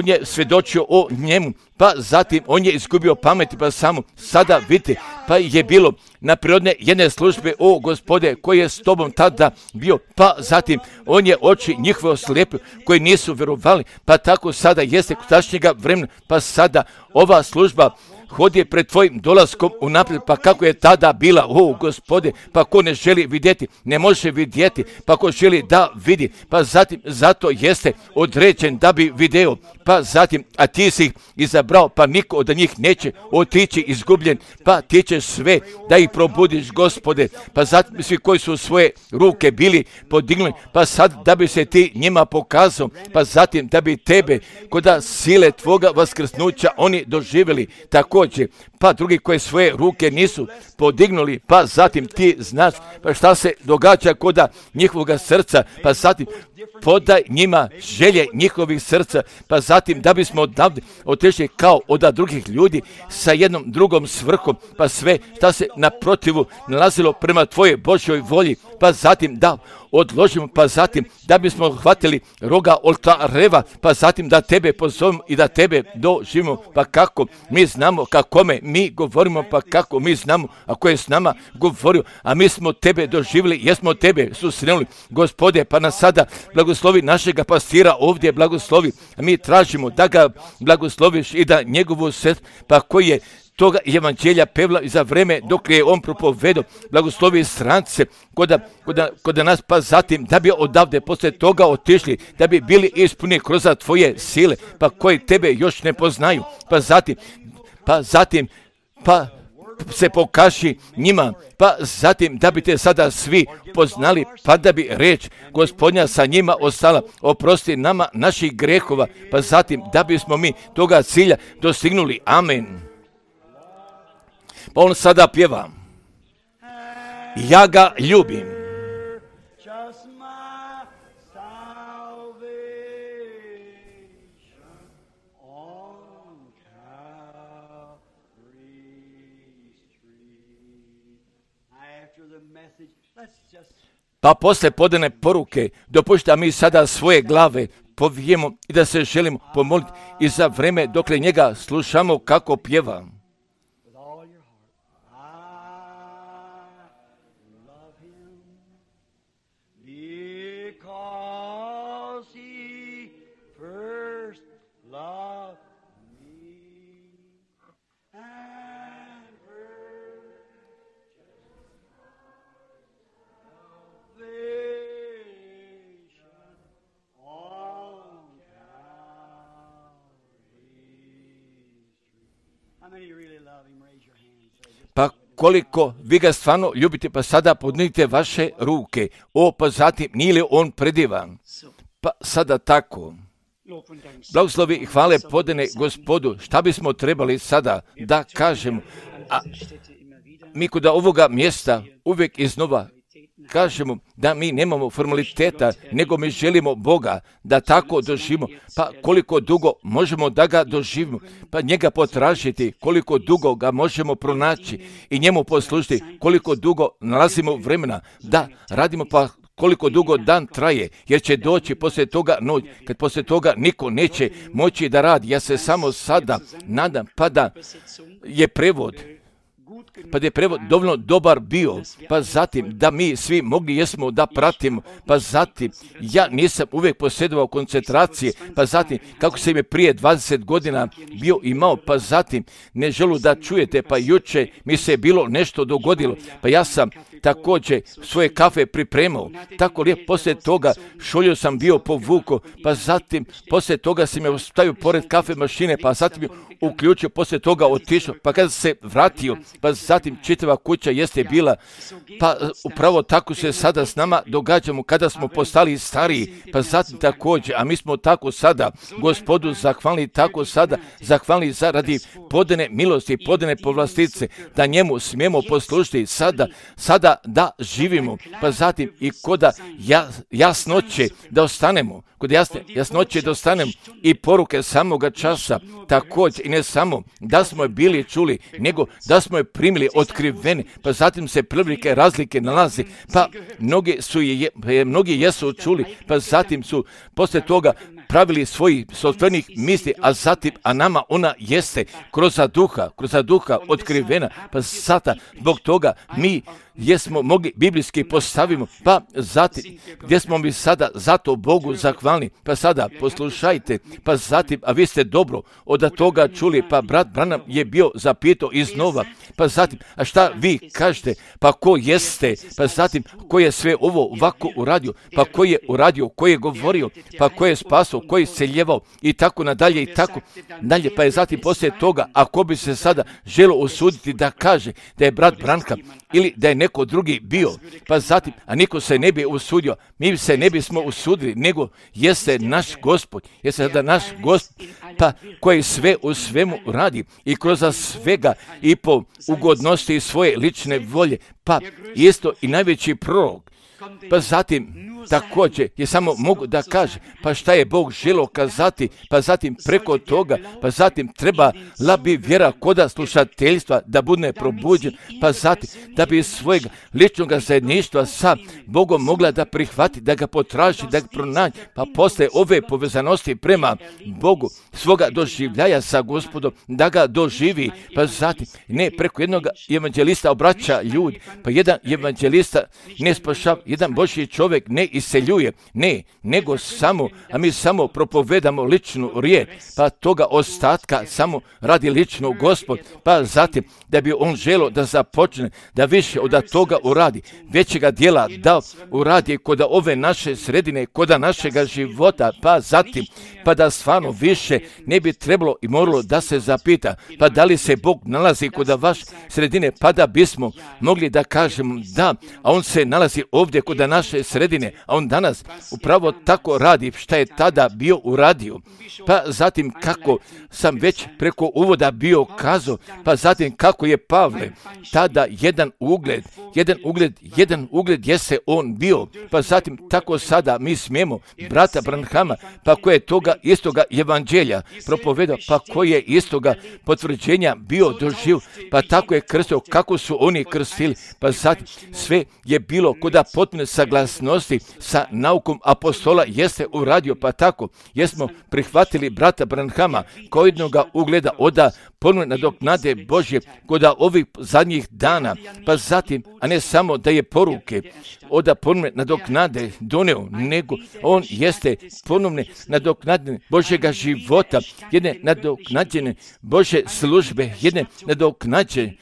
je svjedočio o njemu, pa zatim on je izgubio pameti, pa samo sada vidite, pa je bilo na prirodne jedne službe, o Gospode, koji je s tobom tada bio, pa zatim on je oči njihove oslijepio, koji nisu vjerovali, pa tako sada jeste kod tašnjega vremena, pa sada ova služba hodi pred tvojim dolaskom unaprijed, pa kako je tada bila, o Gospode, pa ko ne želi vidjeti, ne može vidjeti, pa ko želi da vidi, pa zatim zato jeste određen da bi video, pa zatim, a ti si ih izabrao, pa niko od njih neće otići izgubljen, pa ti ćeš sve da ih probudiš, Gospode, pa zatim svi koji su svoje ruke bili podignuli, pa sad da bi se ti njima pokazao, pa zatim da bi tebe koda sile tvoga vaskrsnuća oni doživjeli, također, pa drugi koji svoje ruke nisu podignuli, pa zatim ti znaš pa šta se događa koda njihovoga srca, pa zatim podaj njima želje njihovih srca, pa zatim da bismo odavde otišli kao od drugih ljudi sa jednom drugom svrhom, pa sve šta se naprotivu nalazilo prema tvojoj Božjoj volji, pa zatim da odložimo, pa zatim da bismo hvatili roga oltareva, pa zatim da tebe pozovemo i da tebe doživimo, pa kako mi znamo kakome mi govorimo, pa kako mi znamo ako je s nama govorio, a mi smo tebe doživjeli, jesmo tebe susrenuli, Gospode, pa nas sada blagoslovi našega pastira ovdje, blagoslovi, a mi tražimo da ga blagosloviš i da njegovu sestru, pa koji je toga evanđelja pevla i za vreme dok je on propovedao, blagoslovi strance kod nas, pa zatim da bi odavde poslije toga otišli, da bi bili ispuni kroz tvoje sile, pa koji tebe još ne poznaju, pa zatim se pokaži njima, pa zatim da bi te sada svi poznali, pa da bi reč Gospodnja sa njima ostala, oprosti nama naših grehova, pa zatim da bismo mi toga cilja dostignuli. Amen. Pa on sada pjeva, ja ga ljubim. Pa posle podane poruke dopušta mi sada svoje glave povijemo i da se želimo pomoliti i za vreme dokle njega slušamo kako pjeva. Pa koliko vi ga stvarno ljubite, pa sada podnijte vaše ruke. Pa zatim, nije li on predivan? Pa sada tako. Blagoslovi i hvale podane Gospodu. Šta bismo trebali sada da kažemo? A mi kod ovoga mjesta uvijek iznova kažemo da mi nemamo formaliteta, nego mi želimo Boga da tako doživimo. Pa koliko dugo možemo da ga doživimo, pa njega potražiti, koliko dugo ga možemo pronaći i njemu poslužiti, koliko dugo nalazimo vremena da radimo, pa koliko dugo dan traje, jer će doći poslije toga noć, kad poslije toga niko neće moći da radi. Ja se samo sada nadam, pa da je prevod dovoljno dobar bio, pa zatim da mi svi mogli jesmo da pratimo, pa zatim ja nisam uvijek posjedovao koncentracije, pa zatim kako sam je prije 20 godina bio imao, pa zatim ne želu da čujete, pa juče mi se bilo nešto dogodilo, pa ja sam također svoje kafe pripremao, tako lijepo, poslije toga šolju sam bio povukao, pa zatim poslije toga sam je stavio pored kafe mašine, pa zatim je uključio, poslije toga otišao, pa kada se vratio, pa zatim čitava kuća jeste bila, pa upravo tako se sada s nama događamo kada smo postali stariji, pa zatim također, a mi smo tako sada Gospodu zahvalni, tako sada zahvalni zaradi podane milosti, podane povlastice, da njemu smijemo poslužiti sada da živimo, pa zatim i koda jasnoće da ostanemo, kod jasnoće da ostanemo i poruke samoga časa, također i ne samo da smo je bili čuli, nego da smo je primili otkriveni, pa zatim se prilike razlike nalazi, pa mnogi jesu čuli, pa zatim su poslije toga pravili svojih sopstvenih misli, a nama ona jeste kroz duha otkrivena, pa sada zbog toga mi jesmo mogli biblijski postavimo, pa zatim gdje smo mi sada zato Bogu zahvalni, pa sada poslušajte, pa zatim, a vi ste dobro od toga čuli, pa brat Branham je bio zapitao iznova, pa zatim, a šta vi kažete, pa ko jeste, pa zatim, ko je sve ovo ovako uradio, pa ko je uradio, ko je govorio, pa ko je spasao, ko je seljevao i tako nadalje i tako dalje, pa je zatim poslije toga, ako bi se sada želo usuditi da kaže da je brat Branham ili da je neko drugi bio, pa zatim, a niko se ne bi usudio, mi se ne bismo usudili, nego jeste naš Gospod, jeste sada naš Gospod, pa koji sve u svemu radi i kroz svega i po ugodnosti svoje lične volje, pa isto i najveći prorok, pa zatim također je samo mogu da kaže, pa šta je Bog želio kazati, pa zatim preko toga, pa zatim trebala bi vjera koda slušateljstva da bude probuđen, pa zatim da bi svojeg ličnog zajedništva sa Bogom mogla da prihvati, da ga potraži, da ga pronađe, pa posle ove povezanosti prema Bogu, svoga doživljaja sa Gospodom, da ga doživi, pa zatim ne preko jednog evanđelista obraća ljudi, pa jedan evanđelista ne spašava, jedan Božji čovjek ne iseljuje, ne, nego samo, a mi samo propovedamo ličnu riječ, pa toga ostatka samo radi lično Gospod, pa zatim da bi on želio da započne, da više od toga uradi, većega dijela da uradi kod ove naše sredine, kod našega života, pa zatim, pa da stvarno više ne bi trebalo i moralo da se zapita, pa da li se Bog nalazi kod vaše sredine, pa da bismo mogli da kažemo da, a on se nalazi ovdje kod naše sredine, a on danas upravo tako radi šta je tada bio uradio. Pa zatim kako sam već preko uvoda bio kazao, pa zatim kako je Pavle tada jedan ugled jeste on bio, pa zatim tako sada mi smijemo brata Branhama, pa koje je toga istoga evanđelja propovedao, pa koje je istoga potvrđenja bio doživ, pa tako je krstio kako su oni krstili, pa zatim sve je bilo kod potpune saglasnosti sa naukom apostola jeste uradio, pa tako jesmo prihvatili brata Branhama kao jednoga ugleda oda ponovne nadoknade Božje kod ovih zadnjih dana, pa zatim, a ne samo da je poruke oda ponovne nadoknade doneo, nego on jeste ponovne nadoknadne Božjega života, jedne nadoknađene Božje službe, jedne nadoknađene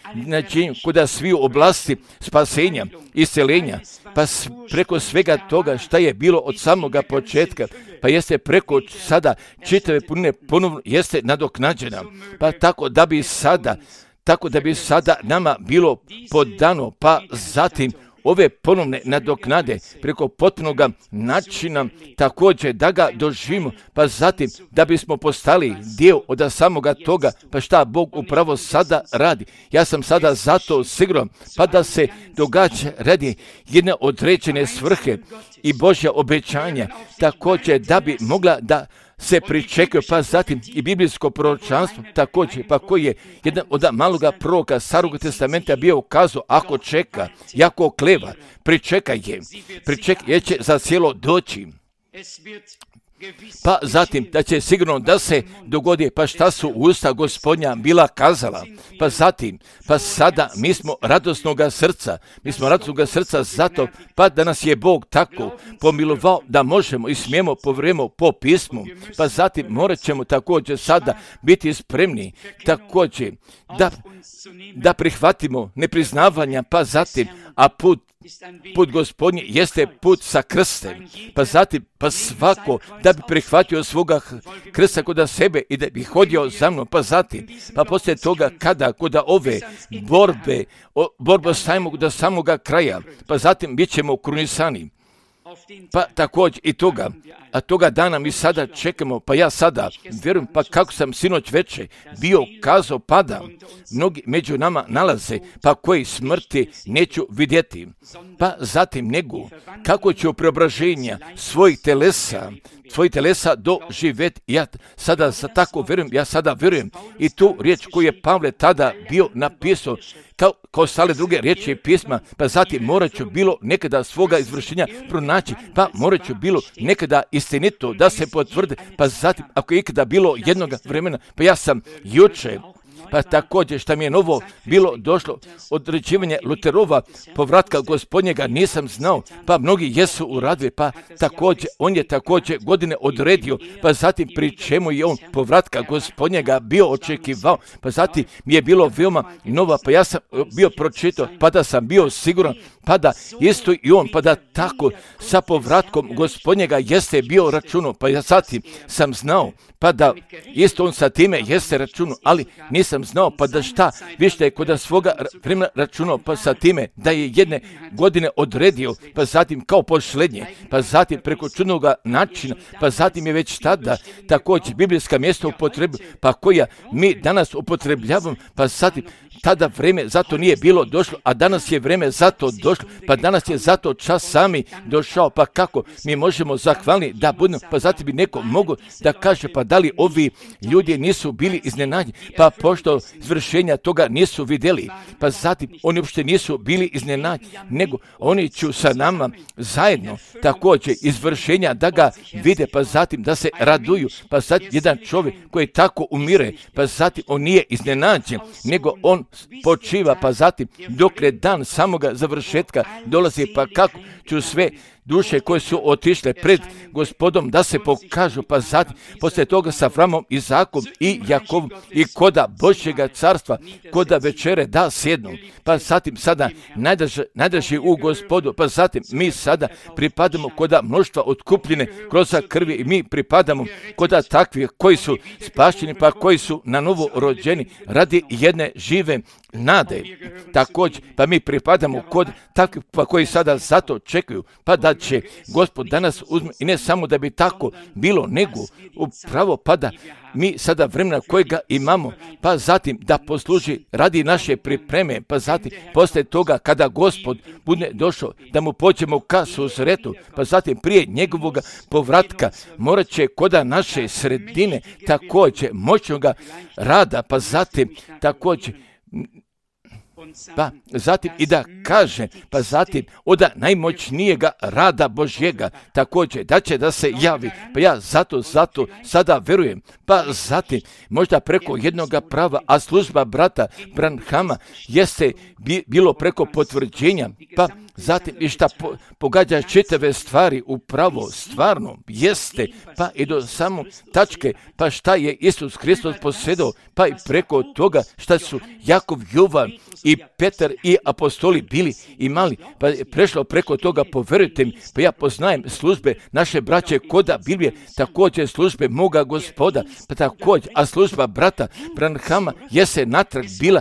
kod svih oblasti spasenja, isceljenja, pa preko svega toga šta je bilo od samoga početka, pa jeste preko sada čitave punine ponovno jeste nadoknađena, pa tako da bi sada nama bilo podano, pa zatim ove ponovne nadoknade preko potpunog načina također da ga doživimo, pa zatim da bismo postali dio od samoga toga, pa šta Bog upravo sada radi. Ja sam sada zato siguran, pa da se događa radi jedne određene svrhe i Božja obećanja, također da bi mogla da se pričekaju, pa zatim i biblijsko proročanstvo također, pa koji je jedan od maloga proroka Starog testamenta bio ukazao, ako čeka, jako kleva, pričekaj jer će za cijelo doći. Pa zatim da će sigurno da se dogodi, pa šta su usta Gospodnja bila kazala, pa zatim, pa sada mi smo radosnoga srca zato, pa da nas je Bog tako pomilovao da možemo i smijemo povrijemo po pismu, pa zatim morat ćemo također sada biti spremni također da prihvatimo nepriznavanja, pa zatim, a put Gospodnji jeste put sa krstem, pa zatim, pa svako da bi prihvatio svoga krsta kod sebe i da bi hodio za mnom, pa zatim, pa poslije toga kada kod ove borbe stavimo do samoga kraja, pa zatim bit ćemo krunisani. Pa također i toga dana mi sada čekamo, pa ja sada vjerujem, pa kako sam sinoć večer bio kazao, pada mnogi među nama nalaze, pa koji smrti neću vidjeti, pa zatim nego kako ću preobraženja svojih telesa doživjeti. Ja sada tako vjerujem, i tu riječ koju je Pavle tada bio napisao, kao stale druge riječi pisma, pa zatim morat ću bilo nekada svoga izvršenja pronaći, pa morat ću bilo nekada istinito da se potvrde, pa zatim ako je ikada bilo jednog vremena, pa ja sam juče, pa također šta mi je novo bilo došlo, određivanje Luterova povratka Gospodnjega nisam znao, pa mnogi jesu uradili, pa također, on je također godine odredio, pa zatim pri čemu je on povratka Gospodnjega bio očekivao, pa zatim mi je bilo veoma nova, pa ja sam bio pročitao, pa da sam bio siguran, pa da isto i on, pa da tako sa povratkom Gospodnjega jeste bio računo, pa ja zatim sam znao, pa da isto on sa time jeste računo, ali nisam znao, pa da šta, više je kod svoga vremena računao, pa sa time da je jedne godine odredio, pa zatim kao posljednje, pa zatim preko čudnoga načina, pa zatim je već tada također biblijska mjesta upotrebu, pa koja mi danas upotrebljavamo, pa zatim tada vreme zato nije bilo došlo, a danas je vreme zato došlo, pa danas je zato čas sami došao, pa kako mi možemo zahvalni da budemo, pa zatim bi neko mogo da kaže, pa da li ovi ljudi nisu bili iznenađeni, pa pošto izvršenja toga nisu vidjeli, pa zatim oni uopšte nisu bili iznenađeni, nego oni će sa nama zajedno također izvršenja da ga vide, pa zatim da se raduju, pa zatim jedan čovjek koji tako umire, pa zatim on nije iznenađen, nego on počiva, pa zatim dok je dan samoga završetka dolazi, pa kako ću sve duše koje su otišle pred Gospodom da se pokažu, pa zatim poslije toga sa Avramom, Izakom i Jakovom i koda Božjega carstva, koda večere da sjednu, pa zatim sada najdraži u Gospodu, pa zatim mi sada pripadamo koda mnoštva otkupljene kroz krvi i mi pripadamo koda takvih koji su spašeni, pa koji su na novo rođeni radi jedne žive nade. Također, pa mi pripadamo kod takvih pa koji sada zato čekaju, pa da će Gospod danas uzme i ne samo da bi tako bilo, nego upravo pa da mi sada vremena kojega imamo, pa zatim da posluži radi naše pripreme, pa zatim poslije toga kada Gospod bude došao da mu pođemo ka susretu, pa zatim prije njegovog povratka morat će koda naše sredine također moćnoga rada, pa zatim također pa zatim i da kaže, pa zatim od najmoćnijega rada Božjega također da će da se javi, pa ja zato sada verujem, pa zatim možda preko jednoga prava, a služba brata Branhama jeste bilo preko potvrđenja, pa zatim i šta pogađa čitave stvari upravo stvarno jeste, pa i do samo tačke, pa šta je Isus Hristos posjedao, pa i preko toga šta su Jakov, Jovan i Petar i apostoli bili imali, pa je prešlo preko toga, poverujte mi, pa ja poznajem službe naše braće koda Biblije, također službe moga Gospoda, pa također, a služba brata Branhama jeste natrag bila,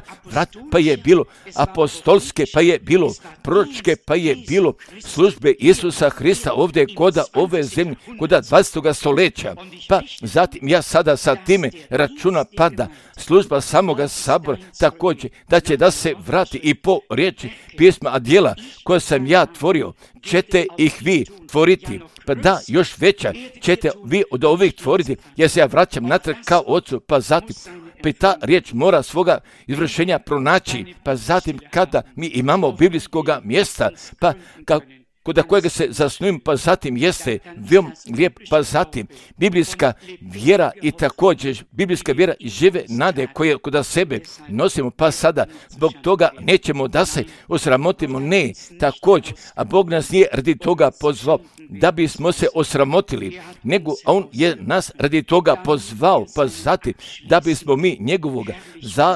pa je bilo apostolske, pa je bilo proročke, pa je bilo službe Isusa Hrista ovdje koda ove zemlje, koda 20. stoljeća. Pa zatim ja sada sa time računa pada služba samoga sabora također da se vrati i po riječi pisma, a djela koje sam ja tvorio ćete ih vi tvoriti. Pa da, još veća ćete vi od ovih tvoriti, jer se ja vraćam natrag kao ocu, pa zatim ta riječ mora svoga izvršenja pronaći, pa zatim kada mi imamo biblijskoga mjesta, pa kod kojega se zasnujem, pa zatim jeste veoma lijep, pa zatim biblijska vjera i također biblijska vjera i žive nade koje kod sebe nosimo, pa sada zbog toga nećemo da se osramotimo, ne, također, a Bog nas nije radi toga pozvao da bismo se osramotili, nego On je nas radi toga pozvao, pa zatim da bismo mi njegovoga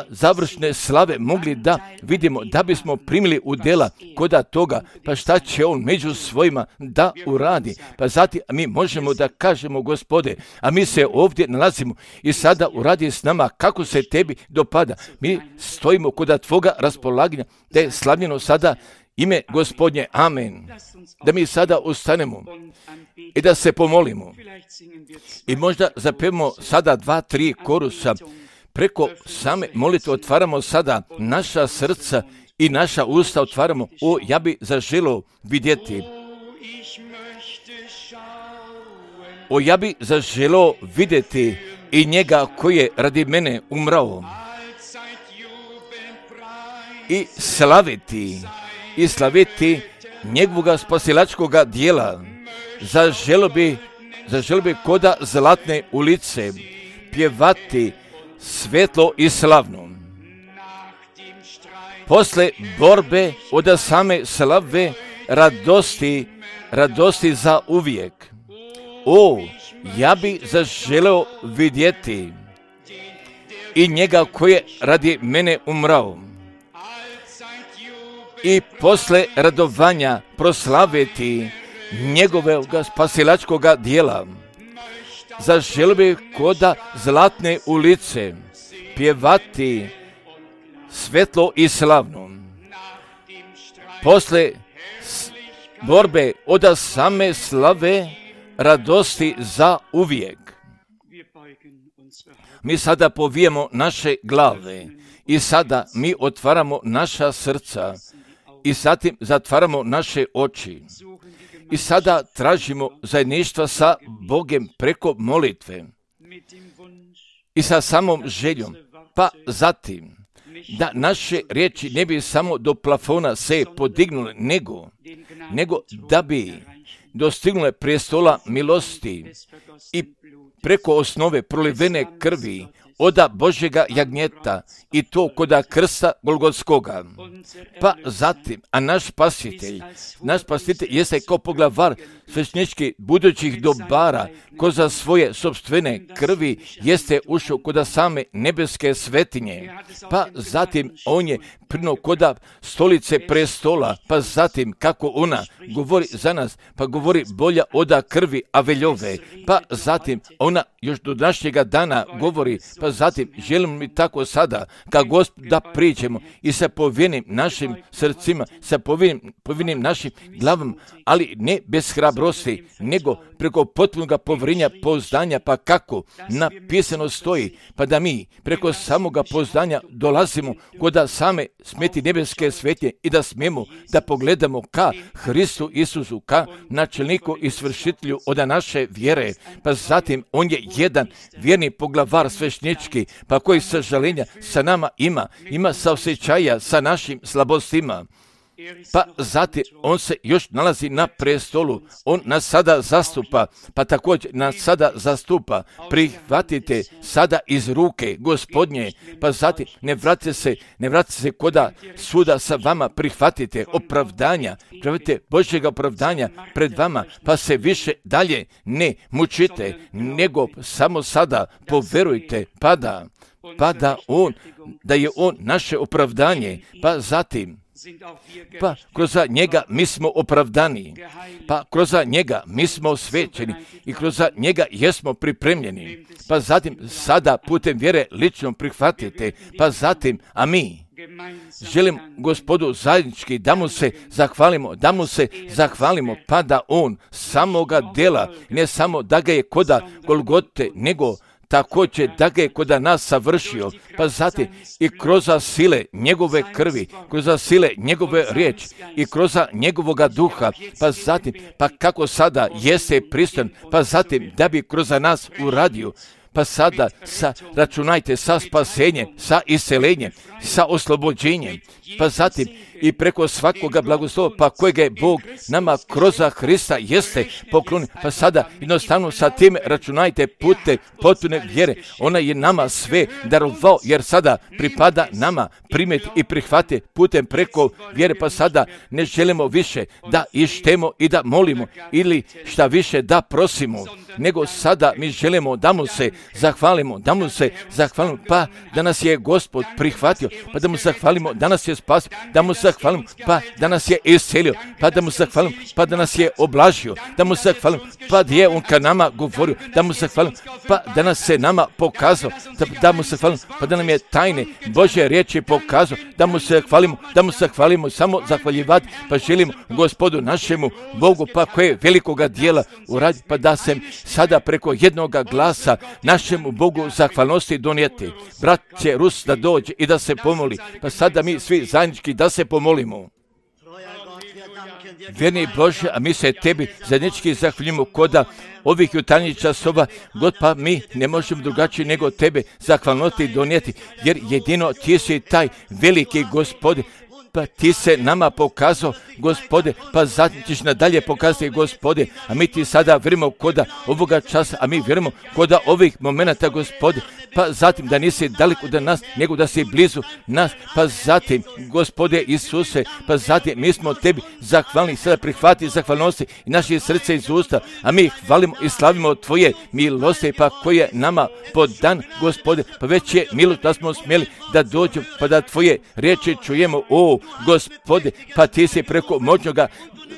završne slave mogli da vidimo, da bismo primili u djela koda toga, pa šta će On među svojima da uradi. Pa zatim mi možemo da kažemo, Gospode, a mi se ovdje nalazimo i sada uradi s nama kako se tebi dopada. Mi stojimo kod tvoga raspolaganja, da je slavljeno sada ime Gospodnje. Amen. Da mi sada ustanemo i da se pomolimo. I možda zapevamo sada 2-3 korusa. Preko same molitve otvaramo sada naša srca i naša usta otvaramo. O, ja bi zaželio vidjeti. O, ja bi zaželio vidjeti i njega koji je radi mene umrao. I slaviti njegovoga spasilačkoga dijela. Zaželio bi koda zlatne ulice pjevati svetlo i slavno. Posle borbe od same slave radosti za uvijek. O, ja bi zaželeo vidjeti i njega koji je radi mene umrao. I posle radovanja proslaviti njegovog spasilačkoga dijela. Zaželio bi koda zlatne ulice pjevati svetlo i slavno. Posle borbe od same slave radosti za uvijek. Mi sada povijemo naše glave i sada mi otvaramo naša srca i zatim zatvaramo naše oči. I sada tražimo zajedništva sa Bogem preko molitve i sa samom željom, pa zatim da naše riječi ne bi samo do plafona se podignule, nego da bi dostignule prestola milosti i preko osnove prolivene krvi oda Božjega jagnjeta i to koda krsta Golgotskoga. Pa zatim, a naš spasitelj jeste kao poglavar svećničkih budućih dobara, ko za svoje sopstvene krvi jeste ušao koda same nebeske svetinje. Pa zatim on je prino koda stolice prestola, pa zatim kako ona govori za nas, pa govori bolja oda krvi Aveljove, pa zatim ona još do današnjega dana govori, pa zatim želimo mi tako sada, kao Gospod da priđemo i sa povijenim našim srcima, sa povijenim našim glavama, ali ne bez hrabrosti, nego preko potpunog povjerenja, pouzdanja, pa kako napisano stoji, pa da mi preko samoga pouzdanja dolazimo kod same smeti nebeske svetje i da smijemo da pogledamo ka Hristu Isusu, ka načelniku i svršitelju od naše vjere, pa zatim on je jedan vjerni poglavar svećnički, pa koji sažaljenja sa nama ima saosjećaja sa našim slabostima. Pa zatim on se još nalazi na prestolu, on nas sada zastupa, pa također nas sada zastupa. Prihvatite sada iz ruke Gospodnje, pa zatim ne vratite se koda suda sa vama, prihvatite prihvatite Božjega opravdanja pred vama, pa se više dalje ne mučite, nego samo sada poverujte, da je on naše opravdanje, pa zatim pa kroz njega mi smo opravdani, pa kroz njega mi smo osvećeni i kroz njega jesmo pripremljeni, pa zatim sada putem vjere lično prihvatite, pa zatim, a mi želim Gospodu zajednički da mu se zahvalimo, pa da on samoga dela, ne samo da ga je koda Golgote, nego također da ga je kod nas savršio, pa zatim i kroz sile njegove krvi, kroz sile njegove riječi i kroz njegovoga duha, pa zatim, pa kako sada jeste pristojan, pa zatim da bi kroz nas uradio, pa sada računajte sa spasenjem, sa iseljenjem, sa oslobođenjem, pa zatim i preko svakoga blagoslova, pa kojega je Bog nama kroz Hrista jeste poklonio, pa sada jednostavno sa tim računajte putem potpune vjere, ona je nama sve darovao, jer sada pripada nama primiti i prihvati putem preko vjere, pa sada ne želimo više da ištemo i da molimo ili šta više da prosimo, nego sada mi želimo da mu se zahvalimo, pa da nas je Gospod prihvatio, pa da mu zahvalimo, da nas je spasio, da mu zahvalimo, pa da nas je iscelio, pa da mu zahvalimo, pa da nas je oblažio, da mu zahvalimo, pa da je on ka nama govorio, da mu zahvalimo, pa da nas se nama pokazao, da mu zahvalimo, pa da nam je tajne Božje riječi pokazao, da mu zahvalimo, samo zahvaljivati, pa želimo Gospodu našemu Bogu, pa koje velikoga dijela uradi, pa da se sada preko jednoga glasa našemu Bogu zahvalnosti donijeti. Brat će Rus da dođe i da se pomoli, pa sada mi svi zajednički da se pomolimo. Vjerni Bože, a mi se tebi zajednički zahvaljujemo koda ovih jutarnjih časova, God, pa mi ne možemo drugačije nego tebe zahvalnosti donijeti, jer jedino ti si taj veliki Gospode, pa ti se nama pokazao, Gospode, pa zatim ćeš nadalje pokazati, Gospode, a mi ti sada vjerujemo koda ovoga časa, a mi vjerujemo koda ovih momenata, Gospode, pa zatim da nisi daleko od nas, nego da si blizu nas, pa zatim, Gospode Isuse, pa zatim mi smo tebi zahvalni, sada prihvati zahvalnosti i naše srce iz usta, a mi hvalimo i slavimo tvoje milosti, pa koje nama podan, Gospode, pa već je milost da smo smjeli da dođemo, pa da tvoje riječi čujemo, o Gospode, pa ti si preko moćnoga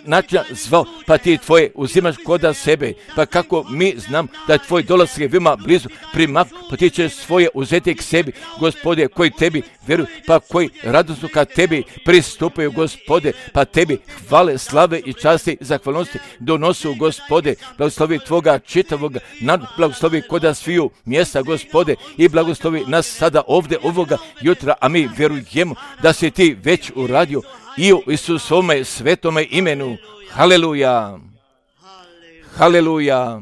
načina zvao, pa ti tvoje uzimaš koda sebe, pa kako mi znam da je tvoj dolazak je veoma blizu, primak, pa ti ćeš svoje uzeti k sebi, Gospode, koji tebi vjeruju, pa koji radosno ka tebi pristupaju, Gospode, pa tebi hvale, slave i časti, zahvalnosti donosu, Gospode, blagoslovi tvoga čitavoga, blagoslovi koda sviju mjesta, Gospode, i blagoslovi nas sada ovdje ovoga jutra, a mi vjerujemo da si ti već uradio i u Isusovome svetome imenu. Haleluja! Haleluja!